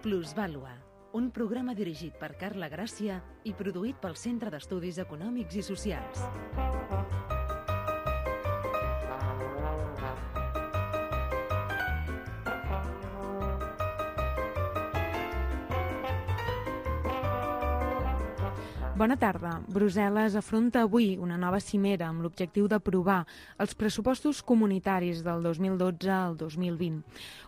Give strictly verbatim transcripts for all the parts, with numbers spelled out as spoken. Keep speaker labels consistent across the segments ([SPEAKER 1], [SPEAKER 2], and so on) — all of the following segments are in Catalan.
[SPEAKER 1] Plusvàlua, un programa dirigit per Carla Gràcia i produït pel Centre d'Estudis Econòmics i Socials.
[SPEAKER 2] Bona tarda. Brussel·les afronta avui una nova cimera amb l'objectiu d'aprovar els pressupostos comunitaris del dos mil dotze al dos mil vint.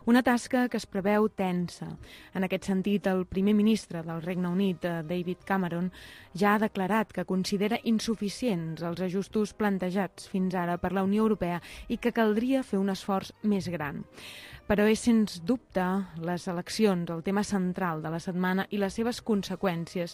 [SPEAKER 2] Una tasca que es preveu tensa. En aquest sentit, el primer ministre del Regne Unit, David Cameron, ja ha declarat que considera insuficients els ajustos plantejats fins ara per la Unió Europea i que caldria fer un esforç més gran. Però és, sens dubte, les eleccions el tema central de la setmana i les seves conseqüències,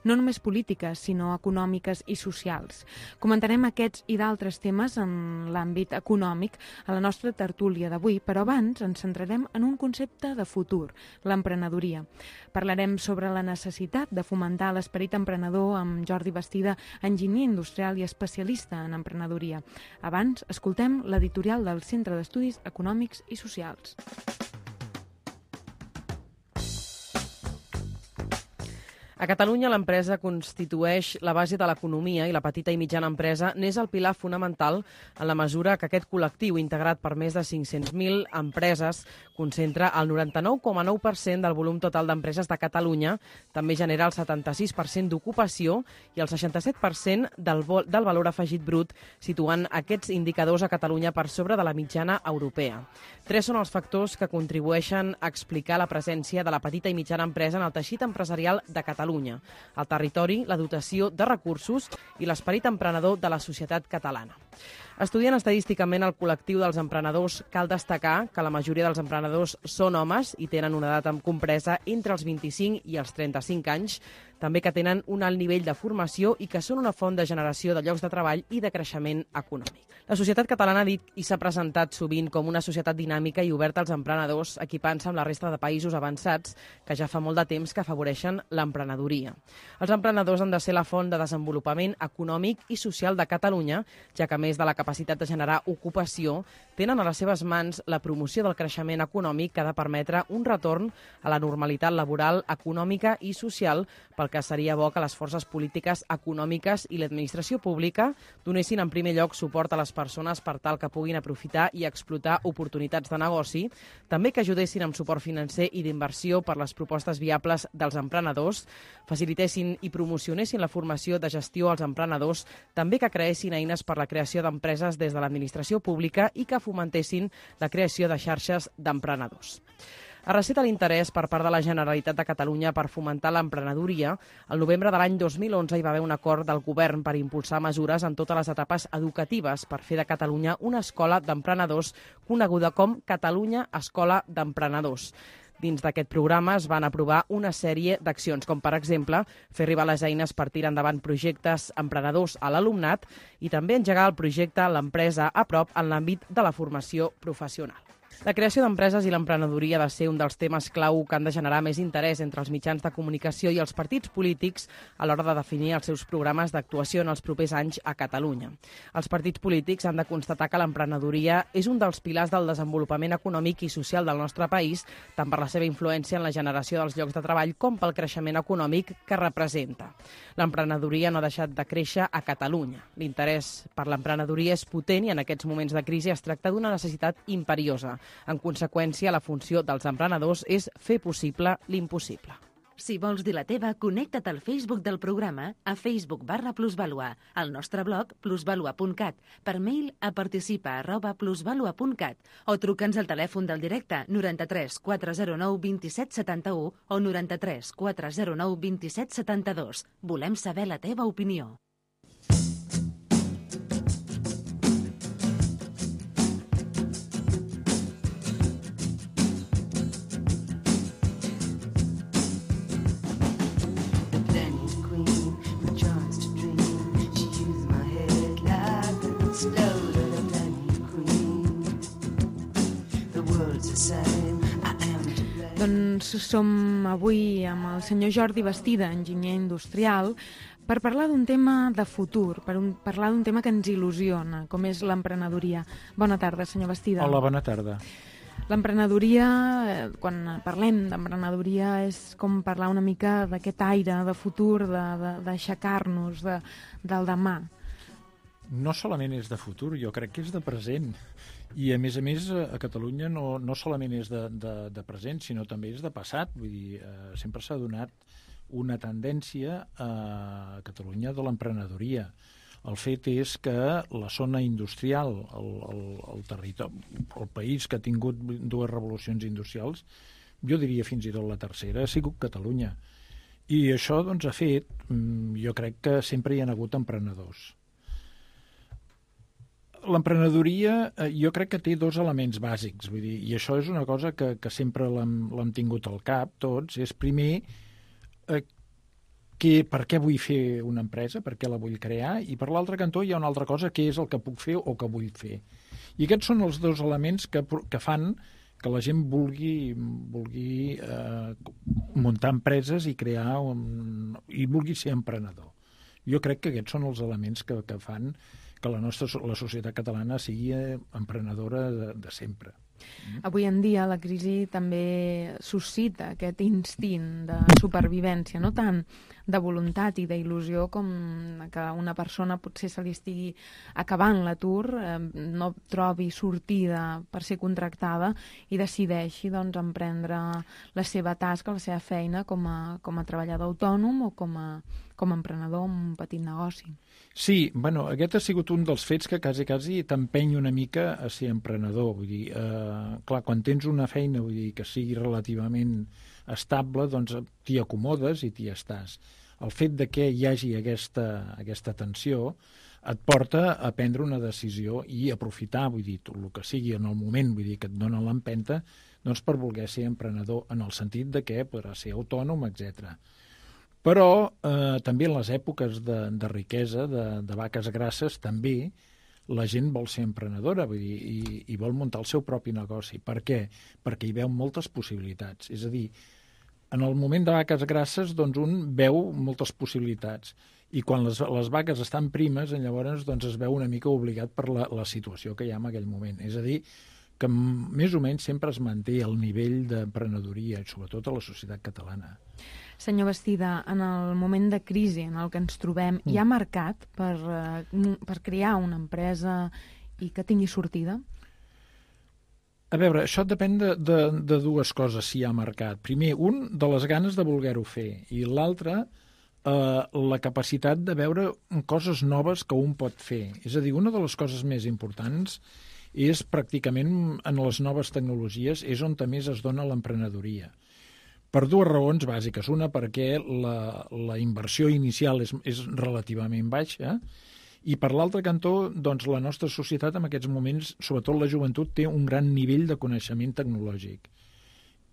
[SPEAKER 2] no només polítiques, sinó econòmiques i socials. Comentarem aquests i d'altres temes en l'àmbit econòmic a la nostra tertúlia d'avui, però abans ens centrarem en un concepte de futur, l'emprenedoria. Parlarem sobre la necessitat de fomentar l'esperit emprenedor amb Jordi Bastida, enginyer industrial i especialista en emprenedoria. Abans, escoltem l'editorial del Centre d'Estudis Econòmics i Socials.
[SPEAKER 3] A Catalunya l'empresa constitueix la base de l'economia i la petita i mitjana empresa n'és el pilar fonamental en la mesura que aquest col·lectiu, integrat per més de cinc-cents mil empreses, concentra el noranta-nou coma nou per cent del volum total d'empreses de Catalunya, també genera el setanta-sis per cent d'ocupació i el seixanta-set per cent del, del valor afegit brut, situant aquests indicadors a Catalunya per sobre de la mitjana europea. Tres són els factors que contribueixen a explicar la presència de la petita i mitjana empresa en el teixit empresarial de Catalunya. El territori, la dotació de recursos i l'esperit emprenedor de la societat catalana. Estudiant estadísticament el col·lectiu dels emprenedors, cal destacar que la majoria dels emprenedors són homes i tenen una edat compresa entre els vint-i-cinc i els trenta-cinc anys, també que tenen un alt nivell de formació i que són una font de generació de llocs de treball i de creixement econòmic. La societat catalana ha dit i s'ha presentat sovint com una societat dinàmica i oberta als emprenedors, equipant-se amb la resta de països avançats que ja fa molt de temps que afavoreixen l'emprenedoria. Els emprenedors han de ser la font de desenvolupament econòmic i social de Catalunya, ja que a més de la capacitat de generar ocupació, tenen a les seves mans la promoció del creixement econòmic que ha de permetre un retorn a la normalitat laboral, econòmica i social, pel que seria bo que les forces polítiques, econòmiques i l'administració pública donessin en primer lloc suport a les persones per tal que puguin aprofitar i explotar oportunitats de negoci, també que ajudessin amb suport financer i d'inversió per les propostes viables dels emprenedors, facilitessin i promocionessin la formació de gestió als emprenedors, també que creessin eines per la creació d'empreses des de l'administració pública i que fomentessin la creació de xarxes d'emprenedors. A receta l'interès per part de la Generalitat de Catalunya per fomentar l'emprenedoria, el novembre de l'any dos mil onze hi va haver un acord del govern per impulsar mesures en totes les etapes educatives per fer de Catalunya una escola d'emprenedors coneguda com Catalunya Escola d'Emprenedors. Dins d'aquest programa es van aprovar una sèrie d'accions, com per exemple fer arribar les eines per tirar endavant projectes emprenedors a l'alumnat i també engegar el projecte L'empresa a prop en l'àmbit de la formació professional. La creació d'empreses i l'emprenedoria ha de ser un dels temes clau que han de generar més interès entre els mitjans de comunicació i els partits polítics a l'hora de definir els seus programes d'actuació en els propers anys a Catalunya. Els partits polítics han de constatar que l'emprenedoria és un dels pilars del desenvolupament econòmic i social del nostre país, tant per la seva influència en la generació dels llocs de treball com pel creixement econòmic que representa. L'emprenedoria no ha deixat de créixer a Catalunya. L'interès per l'emprenedoria és potent i en aquests moments de crisi es tracta d'una necessitat imperiosa. En conseqüència, la funció dels emprenedors és fer possible l'impossible.
[SPEAKER 1] Si vols dir la teva, connecta't al Facebook del programa a Facebook barra Plusvàlua, al nostre blog plusvalua punt cat, per mail a participa arroba plusvalua punt cat o truca'ns al telèfon del directe noranta-tres quatre zero nou vint-i-set setanta-u o noranta-tres quatre zero nou vint-i-set setanta-dos. Volem saber la teva opinió.
[SPEAKER 2] Doncs som avui amb el senyor Jordi Bastida, enginyer industrial, per parlar d'un tema de futur, per un, parlar d'un tema que ens il·lusiona, com és l'emprenedoria. Bona tarda, senyor Bastida.
[SPEAKER 4] Hola, bona tarda.
[SPEAKER 2] L'emprenedoria, quan parlem d'emprenedoria, és com parlar una mica d'aquest aire de futur, d'aixecar-nos de, de, del demà.
[SPEAKER 4] No solament és de futur, jo crec que és de present. I, a més a més, a Catalunya no, no solament és de, de, de present, sinó també és de passat. Vull dir, eh, sempre s'ha donat una tendència a Catalunya de l'emprenedoria. El fet és que la zona industrial, el, el, el territori, el país que ha tingut dues revolucions industrials, jo diria fins i tot la tercera, ha sigut Catalunya. I això doncs, ha fet, jo crec que sempre hi ha hagut emprenedors. L'emprenedoria jo crec que té dos elements bàsics, vull dir, i això és una cosa que, que sempre l'hem tingut al cap tots, és primer eh, que, per què vull fer una empresa, per què la vull crear, i per l'altre cantó hi ha una altra cosa, que és el que puc fer o que vull fer. I aquests són els dos elements que, que fan que la gent vulgui, vulgui eh, muntar empreses i crear un, i vulgui ser emprenedor. Jo crec que aquests són els elements que, que fan que la nostra la societat catalana sigui emprenedora de, de sempre.
[SPEAKER 2] Avui en dia la crisi també suscita aquest instint de supervivència, no tant de voluntat i d'il·lusió com que una persona potser se li estigui acabant l'atur, eh, no trobi sortida per ser contractada i decideixi doncs, emprendre la seva tasca, la seva feina com a, com a treballador autònom o com a, com a emprenedor en un petit negoci.
[SPEAKER 4] Sí, bueno, aquest ha sigut un dels fets que quasi, quasi t'empeny una mica a ser emprenedor. Vull dir, eh, clar, quan tens una feina vull dir, que sigui relativament estable, doncs t'hi acomodes i t'hi estàs. El fet de que hi hagi aquesta, aquesta tensió et porta a prendre una decisió i aprofitar, vull dir, tot el que sigui en el moment, vull dir, que et dona l'empenta, doncs per voler ser emprenedor, en el sentit de que podrà ser autònom, etcètera. Però eh, també en les èpoques de, de riquesa, de, de vaques grasses, també la gent vol ser emprenedora, vull dir, i, i vol muntar el seu propi negoci. Per què? Perquè hi veu moltes possibilitats. És a dir, en el moment de vaques grasses, doncs un veu moltes possibilitats. I quan les, les vaques estan primes, llavors doncs, es veu una mica obligat per la, la situació que hi ha en aquell moment. És a dir, que més o menys sempre es manté el nivell d'emprenedoria, sobretot a la societat catalana.
[SPEAKER 2] Senyor Bastida, en el moment de crisi en el que ens trobem, mm. hi ha mercat per, per crear una empresa i que tingui sortida?
[SPEAKER 4] A veure, això depèn de, de, de dues coses, si hi ha mercat. Primer, un, de les ganes de voler-ho fer, i l'altre, eh, la capacitat de veure coses noves que un pot fer. És a dir, una de les coses més importants és pràcticament en les noves tecnologies, és on també es dona l'emprenedoria. Per dues raons bàsiques. Una, perquè la, la inversió inicial és, és relativament baixa, i per l'altre cantó, doncs, la nostra societat en aquests moments, sobretot la joventut, té un gran nivell de coneixement tecnològic.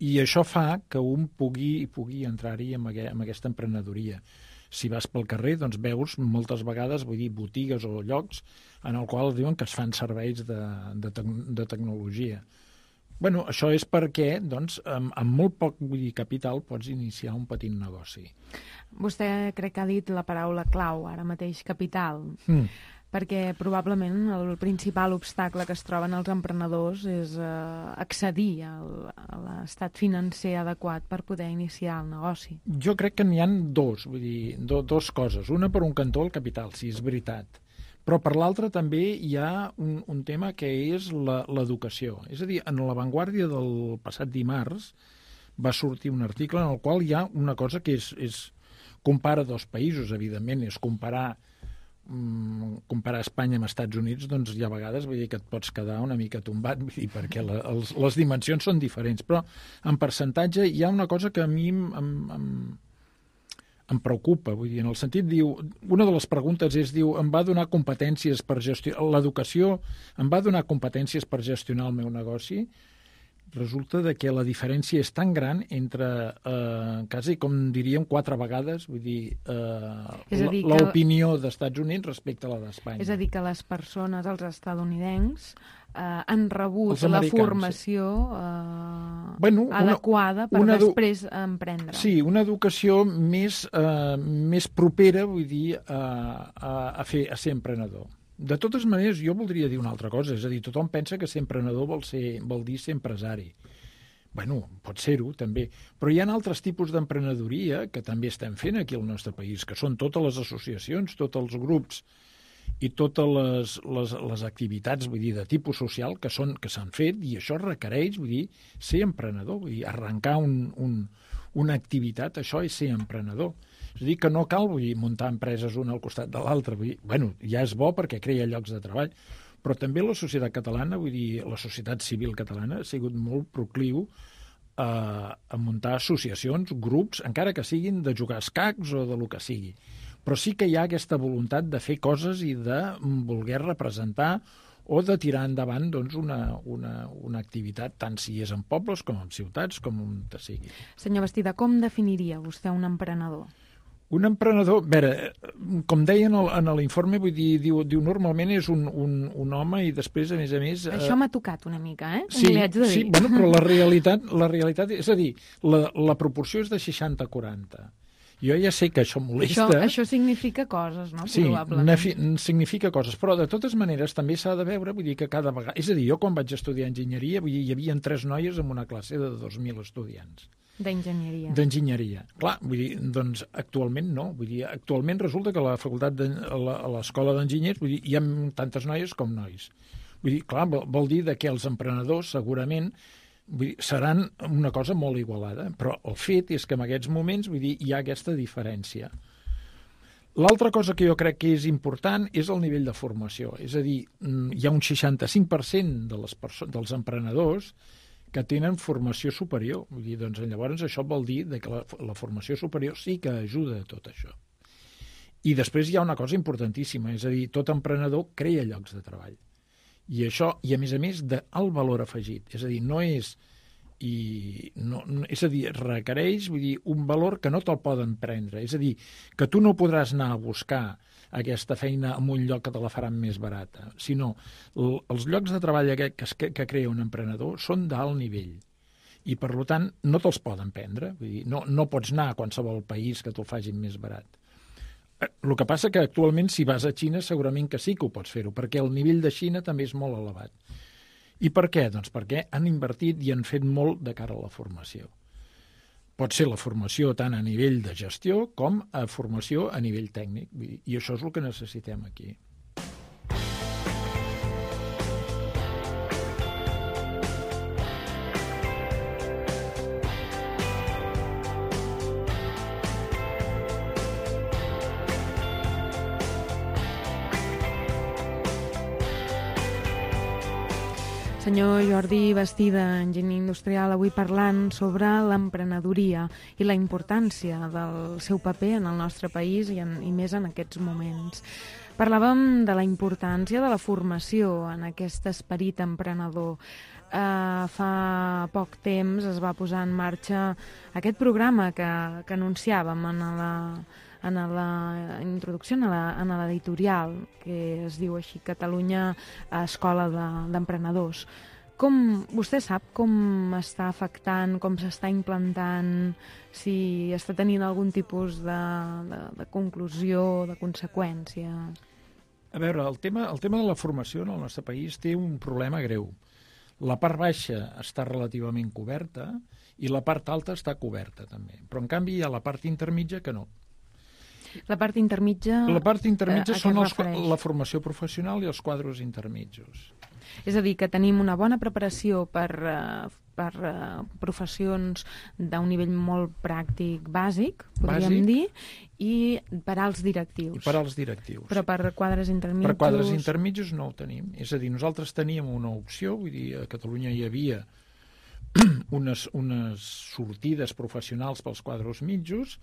[SPEAKER 4] I això fa que un pugui, pugui entrar-hi en, aqu en aquesta emprenedoria. Si vas pel carrer, doncs veus moltes vegades, vull dir, botigues o llocs en el qual diuen que es fan serveis de, de, te de tecnologia. Bueno, això és perquè, doncs, amb, amb molt poc vull dir, capital pots iniciar un petit negoci.
[SPEAKER 2] Vostè crec que ha dit la paraula clau, ara mateix, capital, mm. perquè probablement el principal obstacle que es troben els emprenedors és eh, accedir al, a l'estat financer adequat per poder iniciar el negoci.
[SPEAKER 4] Jo crec que n'hi ha dos, vull dir, do, dos coses. Una, per un cantó, el capital, sí, és veritat. Però per l'altre també hi ha un, un tema que és l'educació. És a dir, en La Vanguardia del passat dimarts va sortir un article en el qual hi ha una cosa que és, és compara dos països, evidentment, és comparar, mm, comparar Espanya amb Estats Units, doncs hi ha vegades vull dir, que et pots quedar una mica tombat, vull dir, perquè la, els, les dimensions són diferents. Però en percentatge hi ha una cosa que a mi em... em, em em preocupa, vull dir, en el sentit, diu, una de les preguntes és, diu, em va donar competències per gestionar, l'educació em va donar competències per gestionar el meu negoci? Resulta de que la diferència és tan gran entre, eh, quasi com diríem, quatre vegades, vull dir, eh, l'opinió que... d'Estats Units respecte a la d'Espanya.
[SPEAKER 2] És a dir, que les persones, els estatunidencs, eh, han rebut la formació eh,
[SPEAKER 4] bueno,
[SPEAKER 2] adequada per una després emprendre.
[SPEAKER 4] Sí, una educació més, eh, més propera, vull dir, a, a, a, fer, a ser emprenedor. De totes maneres, jo voldria dir una altra cosa, és a dir, tothom pensa que ser emprenedor vol, ser, vol dir ser empresari. Bueno, pot ser-ho, també. Però hi ha altres tipus d'emprenedoria que també estem fent aquí al nostre país, que són totes les associacions, tots els grups i totes les, les, les activitats, vull dir, de tipus social que són que s'han fet, i això requereix, vull dir, ser emprenedor, vull dir, arrencar un, un, una activitat, això és ser emprenedor. És a dir, que no cal, vull dir, muntar empreses una al costat de l'altra, vull dir, bueno, ja és bo perquè crea llocs de treball, però també la societat catalana, vull dir, la societat civil catalana ha sigut molt procliu a, a muntar associacions, grups, encara que siguin de jugar a escacs o de lo que sigui. Però sí que hi ha aquesta voluntat de fer coses i de voler representar o de tirar endavant doncs, una, una, una activitat, tant si és en pobles com en ciutats, com on sigui.
[SPEAKER 2] Senyor Bastida, com definiria vostè un emprenedor?
[SPEAKER 4] Un emprenedor, a veure, com deia en l'informe, vull dir, diu, diu normalment és un, un, un home i després, a més a més...
[SPEAKER 2] Això m'ha tocat una mica, eh?
[SPEAKER 4] Sí, sí, bueno, però la realitat, la realitat, és a dir, la, la proporció és de seixanta a quaranta. Jo ja sé que això molesta.
[SPEAKER 2] Això, això significa coses, no?
[SPEAKER 4] Sí,
[SPEAKER 2] probablement.
[SPEAKER 4] significa coses, però de totes maneres també s'ha de veure, vull dir que cada vegada... És a dir, jo quan vaig estudiar enginyeria, vull dir, hi havia tres noies en una classe de dos mil estudiants.
[SPEAKER 2] D'enginyeria.
[SPEAKER 4] D'enginyeria. Clar, vull dir, doncs actualment no. Vull dir, actualment resulta que a la facultat de, a l'escola d'enginyers, vull dir, hi ha tantes noies com nois. Vull dir, clar, vol, vol dir que els emprenedors segurament vull dir, seran una cosa molt igualada, però el fet és que en aquests moments vull dir, hi ha aquesta diferència. L'altra cosa que jo crec que és important és el nivell de formació. És a dir, hi ha un seixanta-cinc per cent de les dels emprenedors que tenen formació superior. Vull dir, doncs, llavors això vol dir que la, la formació superior sí que ajuda a tot això. I després hi ha una cosa importantíssima, és a dir, tot emprenedor crea llocs de treball. I això, i a més a més, del valor afegit. És a dir, no és... I no, no, és a dir, requereix vull dir, un valor que no te'l poden prendre. És a dir, que tu no podràs anar a buscar aquesta feina en un lloc que te la faran més barata, sinó l, els llocs de treball que, que, que crea un emprenedor són d'alt nivell i, per tant, no te'ls poden prendre. Vull dir, no, no pots anar a qualsevol país que te'l facin més barat. El que passa que actualment, si vas a Xina, segurament que sí que ho pots fer-ho, perquè el nivell de Xina també és molt elevat. I per què? Doncs perquè han invertit i han fet molt de cara a la formació. Pot ser la formació tant a nivell de gestió com a formació a nivell tècnic. I això és el que necessitem aquí.
[SPEAKER 2] Senyor Jordi Bastida, enginyer industrial, avui parlant sobre l'emprenedoria i la importància del seu paper en el nostre país i, en, i més en aquests moments. Parlàvem de la importància de la formació en aquest esperit emprenedor. Uh, fa poc temps es va posar en marxa aquest programa que, que anunciàvem en la... en la introducció, en l'editorial, que es diu així, Catalunya Escola d'Emprenedors. Com, vostè sap com està afectant, com s'està implantant, si està tenint algun tipus de, de, de conclusió, de conseqüència?
[SPEAKER 4] A veure, el tema, el tema de la formació en el nostre país té un problema greu. La part baixa està relativament coberta i la part alta està coberta també. Però, en canvi, hi ha la part intermitja que no.
[SPEAKER 2] La part intermitja...
[SPEAKER 4] La part intermitja són els, la formació professional i els quadros intermitjos.
[SPEAKER 2] És a dir, que tenim una bona preparació per, per professions d'un nivell molt pràctic bàsic, podríem bàsic. dir, i per als directius.
[SPEAKER 4] I per als directius.
[SPEAKER 2] Però per quadres intermitjos...
[SPEAKER 4] Per quadres intermitjos no ho tenim. És a dir, nosaltres teníem una opció, vull dir, a Catalunya hi havia unes, unes sortides professionals pels quadros mitjos,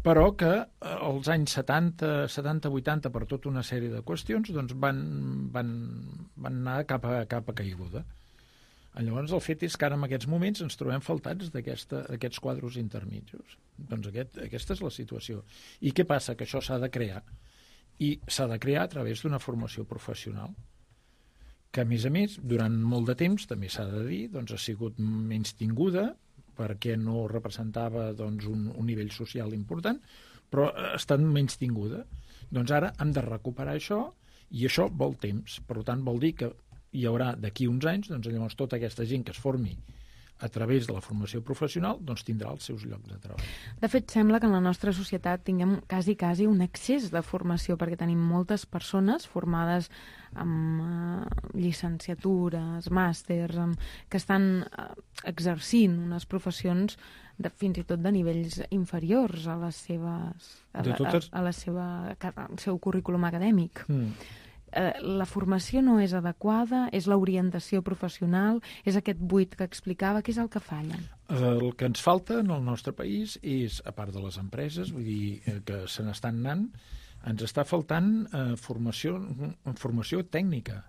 [SPEAKER 4] però que als anys setanta, setanta, vuitanta, per tota una sèrie de qüestions, doncs van, van, van anar cap a, cap a caiguda. Llavors, el fet és que ara, en aquests moments, ens trobem faltats d'aquests quadros intermitjos. Doncs aquest, aquesta és la situació. I què passa? Que això s'ha de crear. I s'ha de crear a través d'una formació professional, que, a més a més, durant molt de temps, també s'ha de dir, doncs, ha sigut menys tinguda, perquè no representava doncs, un, un nivell social important, però ha estat menys tinguda. Doncs ara hem de recuperar això I això vol temps, per tant vol dir que hi haurà d'aquí uns anys, doncs llavors tota aquesta gent que es formi a través de la formació professional, doncs tindrà els seus llocs de treball.
[SPEAKER 2] De fet, sembla que en la nostra societat tinguem quasi, quasi un excés de formació, perquè tenim moltes persones formades amb uh, llicenciatures, màsters, amb, que estan uh, exercint unes professions de, fins i tot de nivells inferiors a les seves, a, la, totes... a, a la seva, al seu currículum acadèmic. Mm. La formació no és adequada, és l'orientació professional, és aquest buit que explicava, què és el que falla?
[SPEAKER 4] El que ens falta en el nostre país és, a part de les empreses, vull dir que se n'estan anant, ens està faltant eh, formació, formació tècnica.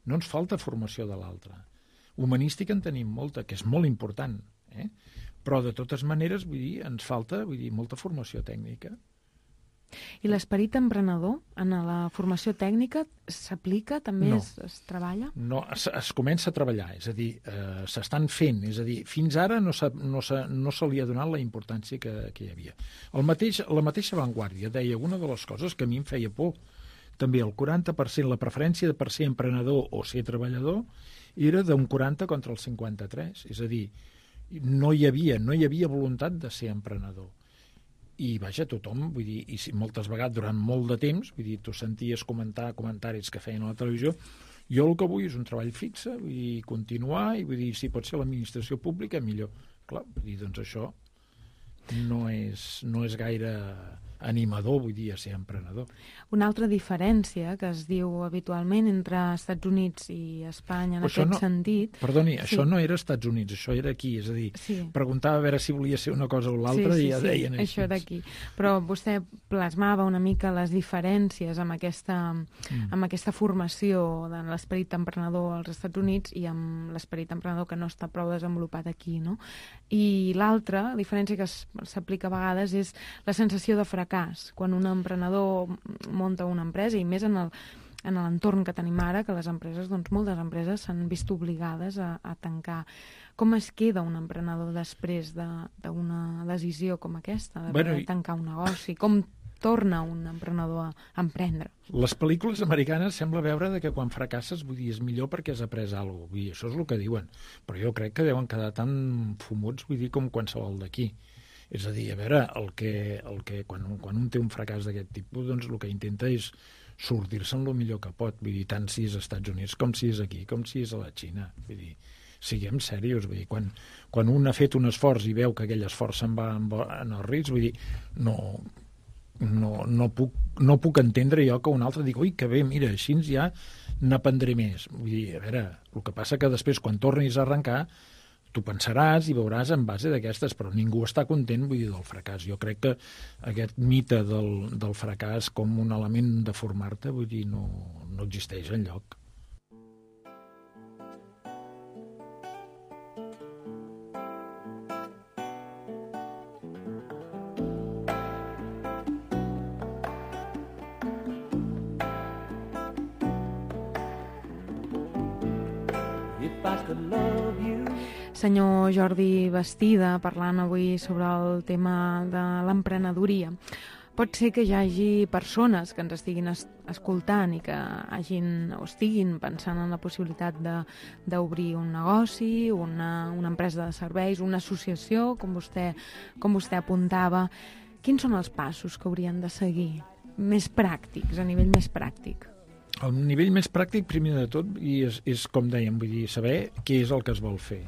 [SPEAKER 4] No ens falta formació de l'altra. Humanística en tenim molta, que és molt important, eh? Però de totes maneres, vull dir, ens falta vull dir, molta formació tècnica.
[SPEAKER 2] I l'esperit emprenedor en la formació tècnica s'aplica, també
[SPEAKER 4] no.
[SPEAKER 2] es, es treballa?
[SPEAKER 4] No, es, es comença a treballar, és a dir, eh, s'estan fent, és a dir, fins ara no, no, no se li ha donat la importància que, que hi havia. El mateix, la mateixa Vanguardia deia, una de les coses que a mi em feia por, també el quaranta per cent, la preferència per ser emprenedor o ser treballador, era d'un quaranta contra el cinquanta-tres, és a dir, no hi havia, no hi havia voluntat de ser emprenedor. I, vaja, tothom, vull dir, i moltes vegades durant molt de temps, vull dir, tu senties comentar comentaris que feien a la televisió, jo el que vull és un treball fixe, vull dir, continuar, i vull dir, si pot ser l'administració pública, millor. Clar, vull dir, doncs això no és, no és gaire animador, vull dir, a ser emprenedor.
[SPEAKER 2] Una altra diferència que es diu habitualment entre Estats Units i Espanya en aquest
[SPEAKER 4] no,
[SPEAKER 2] sentit...
[SPEAKER 4] Perdoni,
[SPEAKER 2] sí.
[SPEAKER 4] Això no era Estats Units, això era aquí, és a dir, sí. Preguntava a veure si volia ser una cosa o l'altra
[SPEAKER 2] sí, sí,
[SPEAKER 4] i ja
[SPEAKER 2] sí,
[SPEAKER 4] deien
[SPEAKER 2] així. Això era aquí. Però vostè plasmava una mica les diferències amb aquesta, mm. amb aquesta formació de l'esperit emprenedor als Estats Units i amb l'esperit emprenedor que no està prou desenvolupat aquí, no? I l'altra diferència que s'aplica a vegades és la sensació de fracàs. Quan un emprenedor munta una empresa, i més en el en l'entorn que tenim ara, que les empreses, doncs moltes empreses s'han vist obligades a, a tancar. Com es queda un emprenedor després d'una decisió com aquesta, de bueno, tancar un negoci? Com torna un emprenedor a emprendre?
[SPEAKER 4] Les pel·lícules americanes sembla veure que quan fracasses, vull dir, és millor perquè has après alguna cosa. Vull dir, això és el que diuen. Però jo crec que deuen quedar tan fumuts, vull dir, com qualsevol d'aquí. És a dir, a veure, el que, el que, quan, quan un té un fracàs d'aquest tipus, doncs el que intenta és sortir-se'n el millor que pot, vull dir, tant si és als Estats Units com si és aquí, com si és a la Xina. Vull dir, siguem serios, vull dir, quan, quan un ha fet un esforç i veu que aquell esforç se'n va en el risc, vull dir, no, no, no, puc, no puc entendre jo que un altre digui, ui, que bé, mira, així ja n'aprendré més. Vull dir, a veure, el que passa que després, quan tornis a arrencar, tu pensaràs i veuràs en base d'aquestes, però ningú està content, vull dir, del fracàs. Jo crec que aquest mite del, del fracàs com un element de formar-te, vull dir, no, no existeix enlloc.
[SPEAKER 2] If I could love you. Senyor Jordi Bastida, parlant avui sobre el tema de l'emprenedoria. Pot ser que hi hagi persones que ens estiguin es escoltant i que hagin, o estiguin pensant en la possibilitat d'obrir un negoci, una, una empresa de serveis, una associació, com vostè, com vostè apuntava. Quins són els passos que haurien de seguir? Més pràctics, a nivell més pràctic.
[SPEAKER 4] El nivell més pràctic, primer de tot, i és, és com dèiem, vull dir, saber què és el que es vol fer.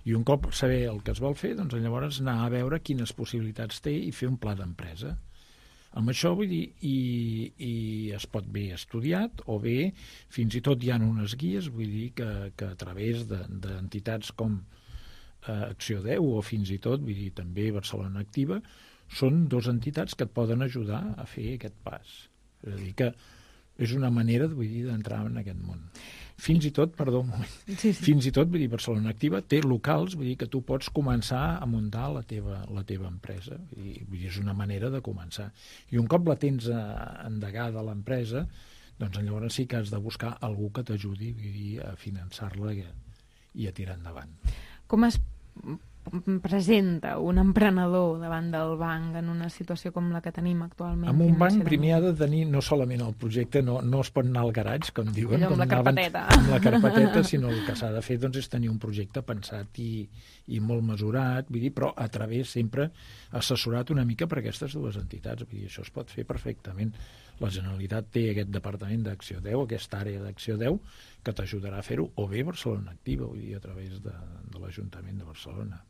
[SPEAKER 4] I un cop saber el que es vol fer, doncs llavors anar a veure quines possibilitats té i fer un pla d'empresa. Amb això, vull dir, i, i es pot bé estudiat o bé, fins i tot hi ha unes guies, vull dir, que, que a través d'entitats de, com eh, Acció deu o fins i tot, vull dir, també Barcelona Activa, són dues entitats que et poden ajudar a fer aquest pas. És a dir, que és una manera, vull dir, d'entrar en aquest món. Fins i tot, perdó un moment, sí, sí. fins i tot, vull dir, Barcelona Activa té locals, vull dir, que tu pots començar a muntar la teva, la teva empresa. I, vull dir, és una manera de començar. I un cop la tens endegada a l'empresa, doncs llavors sí que has de buscar algú que t'ajudi, vull dir, a finançar-la i a tirar endavant.
[SPEAKER 2] Com es presenta un emprenedor davant del banc en una situació com la que tenim actualment?
[SPEAKER 4] Amb un banc primer ha de tenir no solament el projecte, no, no es pot anar al garatge, com diuen,
[SPEAKER 2] Allò amb
[SPEAKER 4] com
[SPEAKER 2] la carpeteta.
[SPEAKER 4] Amb la carpeteta, sinó el que s'ha de fer doncs, és tenir un projecte pensat i, i molt mesurat, vull dir, però a través sempre assessorat una mica per aquestes dues entitats. Vull dir, això es pot fer perfectament. La Generalitat té aquest departament d'Acció deu, aquesta àrea d'Acció deu, que t'ajudarà a fer-ho, o bé Barcelona Activa, vull dir, a través de, de l'Ajuntament de Barcelona.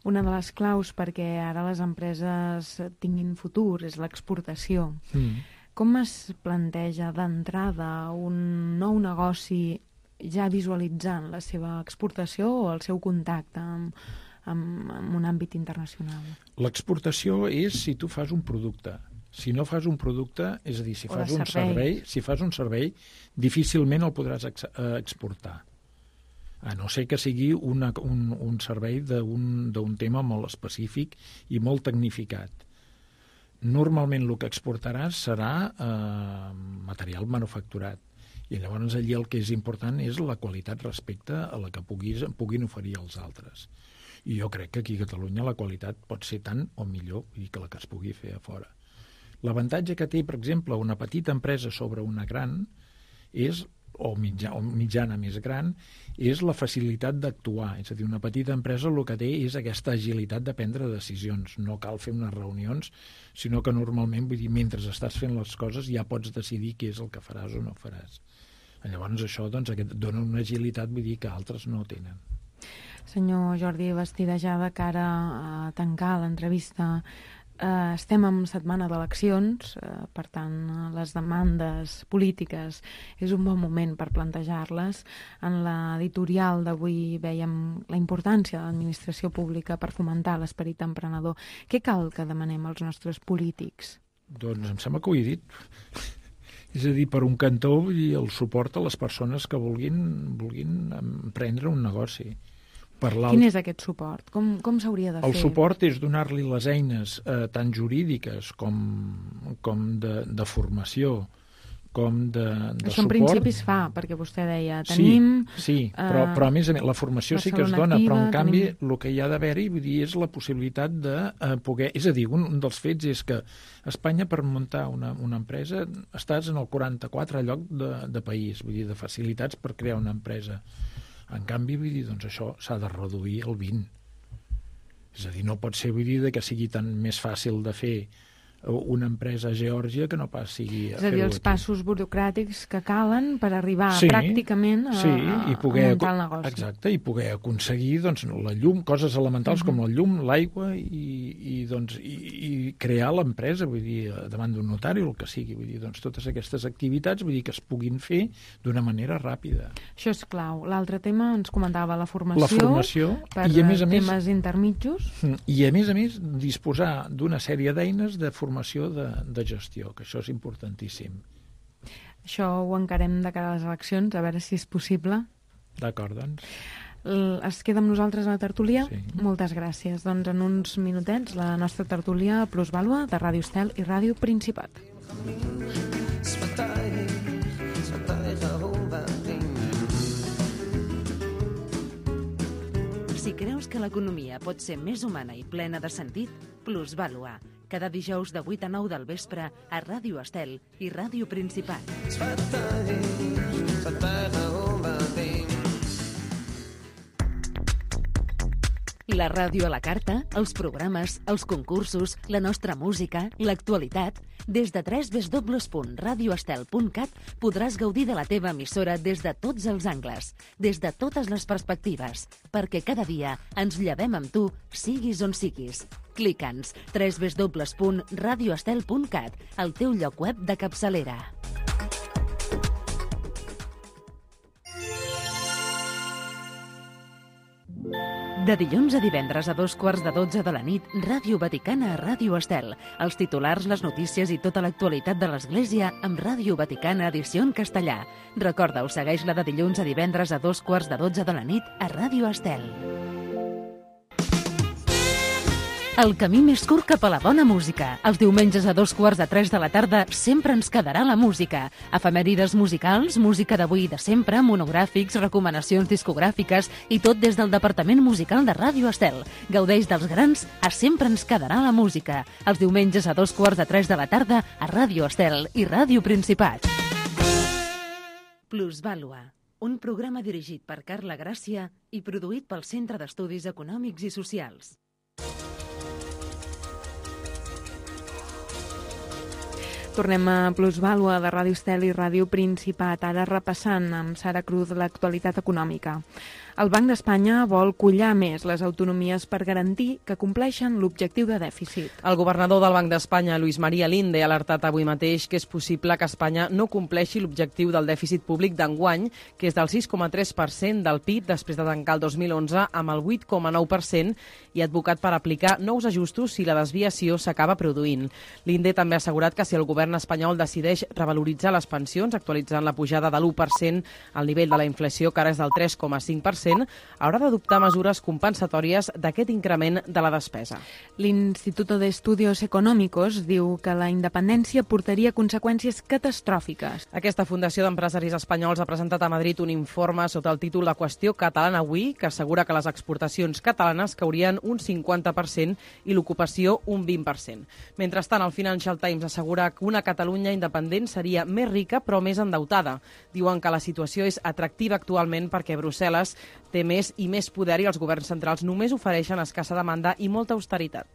[SPEAKER 2] Una de les claus perquè ara les empreses tinguin futur és l'exportació. Mm. Com es planteja d'entrada un nou negoci ja visualitzant la seva exportació o el seu contacte amb, amb, amb un àmbit internacional? L'exportació és si tu fas un producte. Si no fas un producte, és a dir, si fas un servei, si fas un servei, difícilment el podràs ex exportar. A no ser que sigui una, un, un servei d'un tema molt específic i molt tecnificat. Normalment el que exportaràs serà eh, material manufacturat. I llavors allí el que és important és la qualitat respecte a la que puguis, puguin oferir els altres. I jo crec que aquí a Catalunya la qualitat pot ser tant o millor que la que es pugui fer a fora. L'avantatge que té, per exemple, una petita empresa sobre una gran és, o, mitja, o mitjana més gran, és la facilitat d'actuar. És a dir, una petita empresa el que té és aquesta agilitat de prendre decisions. No cal fer unes reunions, sinó que normalment, vull dir, mentre estàs fent les coses ja pots decidir què és el que faràs o no faràs. Llavors això doncs, dona una agilitat, vull dir, que altres no tenen. Senyor Jordi Bastida, ja de cara a tancar l'entrevista, Uh, estem en setmana d'eleccions, uh, per tant, les demandes polítiques és un bon moment per plantejar-les. En l'editorial d'avui vèiem la importància de l'administració pública per fomentar l'esperit emprenedor. Què cal que demanem als nostres polítics?
[SPEAKER 4] Doncs em sembla que ho he dit. És a dir, per un cantó, vull dir, el suport a les persones que vulguin, vulguin emprendre un negoci.
[SPEAKER 2] Quin és aquest suport? Com, com s'hauria de fer?
[SPEAKER 4] El suport és donar-li les eines eh, tant jurídiques com, com de, de formació, com de, de
[SPEAKER 2] Això
[SPEAKER 4] suport.
[SPEAKER 2] En principi es fa, perquè vostè deia, tenim...
[SPEAKER 4] Sí, sí però, però a més a més, la formació sí que es dona, activa, però en canvi tenim... el que hi ha d'haver-hi és la possibilitat de eh, poder... És a dir, un, un dels fets és que Espanya, per muntar una, una empresa, estàs en el quaranta-quatre lloc de, de país, vull dir, de facilitats per crear una empresa. En canvi, vull dir, doncs això s'ha de reduir al vint. És a dir, no pot ser, vull dir, que sigui tan més fàcil de fer una empresa a Geòrgia que no pas sigui a
[SPEAKER 2] És a dir, els
[SPEAKER 4] aquí.
[SPEAKER 2] passos burocràtics que calen per arribar
[SPEAKER 4] sí,
[SPEAKER 2] pràcticament a,
[SPEAKER 4] sí, i poder,
[SPEAKER 2] a muntar el negoci.
[SPEAKER 4] Exacte, i poder aconseguir doncs, la llum, coses elementals uh -huh. com la llum, l'aigua i, i, doncs, i, i crear l'empresa, vull dir, davant d'un notari o el que sigui. Vull dir, doncs, totes aquestes activitats vull dir que es puguin fer d'una manera ràpida.
[SPEAKER 2] Això és clau. L'altre tema ens comentava la formació,
[SPEAKER 4] la formació
[SPEAKER 2] per
[SPEAKER 4] i a més a
[SPEAKER 2] temes
[SPEAKER 4] més,
[SPEAKER 2] intermitjos.
[SPEAKER 4] I a més a més disposar d'una sèrie d'eines de formació de, de gestió, que això és importantíssim.
[SPEAKER 2] Això ho encarem de cara a les eleccions, a veure si és possible.
[SPEAKER 4] D'acord, doncs.
[SPEAKER 2] Es queda amb nosaltres a la tertúlia?
[SPEAKER 4] Sí.
[SPEAKER 2] Moltes gràcies. Doncs en uns minutets la nostra tertúlia Plusvàlua de Ràdio Estel i Ràdio Principat.
[SPEAKER 1] Si creus que l'economia pot ser més humana i plena de sentit, Plusvàlua. Cada dijous de vuit a nou del vespre a Ràdio Estel i Ràdio Principat. La ràdio a la carta, els programes, els concursos, la nostra música, l'actualitat... Des de w w w punt radio estel punt cat podràs gaudir de la teva emissora des de tots els angles, des de totes les perspectives, perquè cada dia ens llevem amb tu, siguis on siguis. Clica'ns w w w punt radio estel punt cat, el teu lloc web de capçalera. De dilluns a divendres a dos quarts de dotze de la nit, Ràdio Vaticana a Ràdio Estel. Els titulars, les notícies i tota l'actualitat de l'Església amb Ràdio Vaticana edició en castellà. Recorda-ho, segueix-la de dilluns a divendres a dos quarts de dotze de la nit a Ràdio Estel. El camí més curt cap a la bona música. Els diumenges a dos quarts de tres de la tarda sempre ens quedarà la música. Efemèrides musicals, música d'avui i de sempre, monogràfics, recomanacions discogràfiques i tot des del Departament Musical de Ràdio Estel. Gaudeix dels grans a Sempre ens quedarà la música. Els diumenges a dos quarts de tres de la tarda a Ràdio Estel i Ràdio Principat. Plusvàlua, un programa dirigit per Carla Gràcia i produït pel Centre d'Estudis Econòmics i Socials.
[SPEAKER 2] Tornem a Plusvàlua de Ràdio Estel i Ràdio Principat, ara repassant amb Sara Cruz l'actualitat econòmica. El Banc d'Espanya vol collar més les autonomies per garantir que compleixen l'objectiu de dèficit.
[SPEAKER 3] El governador del Banc d'Espanya, Luis María Linde, ha alertat avui mateix que és possible que Espanya no compleixi l'objectiu del dèficit públic d'enguany, que és del sis coma tres per cent del P I B després de tancar el dos mil onze amb el vuit coma nou per cent i ha advocat per aplicar nous ajustos si la desviació s'acaba produint. Linde també ha assegurat que si el govern espanyol decideix revaloritzar les pensions, actualitzant la pujada de l'u per cent al nivell de la inflació, que ara és del tres coma cinc per cent, haurà d'adoptar mesures compensatòries d'aquest increment de la despesa.
[SPEAKER 2] L'Instituto de Estudios Económicos diu que la independència portaria conseqüències catastròfiques.
[SPEAKER 3] Aquesta Fundació d'Empresaris Espanyols ha presentat a Madrid un informe sota el títol La qüestió catalana avui, que assegura que les exportacions catalanes caurien un cinquanta per cent i l'ocupació un vint per cent. Mentrestant, el Financial Times assegura que una Catalunya independent seria més rica però més endeutada. Diuen que la situació és atractiva actualment perquè Brussel·les té més i més poder i els governs centrals només ofereixen escassa demanda i molta austeritat.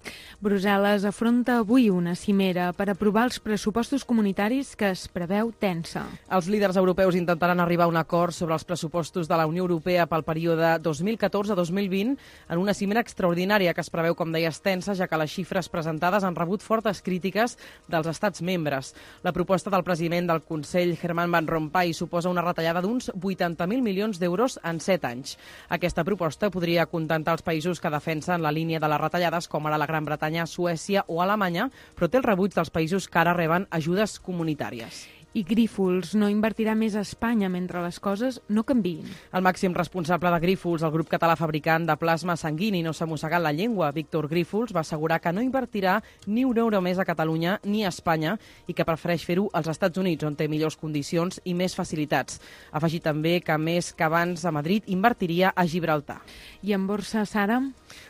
[SPEAKER 2] Brussel·les afronta avui una cimera per aprovar els pressupostos comunitaris que es preveu tensa.
[SPEAKER 3] Els líders europeus intentaran arribar a un acord sobre els pressupostos de la Unió Europea pel període dos mil catorze a dos mil vint en una cimera extraordinària que es preveu, com deies, tensa, ja que les xifres presentades han rebut fortes crítiques dels estats membres. La proposta del president del Consell, Herman Van Rompuy, suposa una retallada d'uns vuitanta mil milions d'euros en set anys. Aquesta proposta podria acontentar els països que defensen la línia de les retallades, com ara la Gran Bretanya, Suècia o Alemanya, però té el rebuig dels països que ara reben ajudes comunitàries.
[SPEAKER 2] I Grífols no invertirà més a Espanya mentre les coses no canviïn.
[SPEAKER 3] El màxim responsable de Grífols, el grup català fabricant de plasma sanguini, no s'ha mossegat la llengua. Víctor Grífols va assegurar que no invertirà ni un euro més a Catalunya ni a Espanya i que prefereix fer-ho als Estats Units, on té millors condicions i més facilitats. Ha afegit també que més que abans a Madrid invertiria a Gibraltar.
[SPEAKER 2] I en borsa, Sara?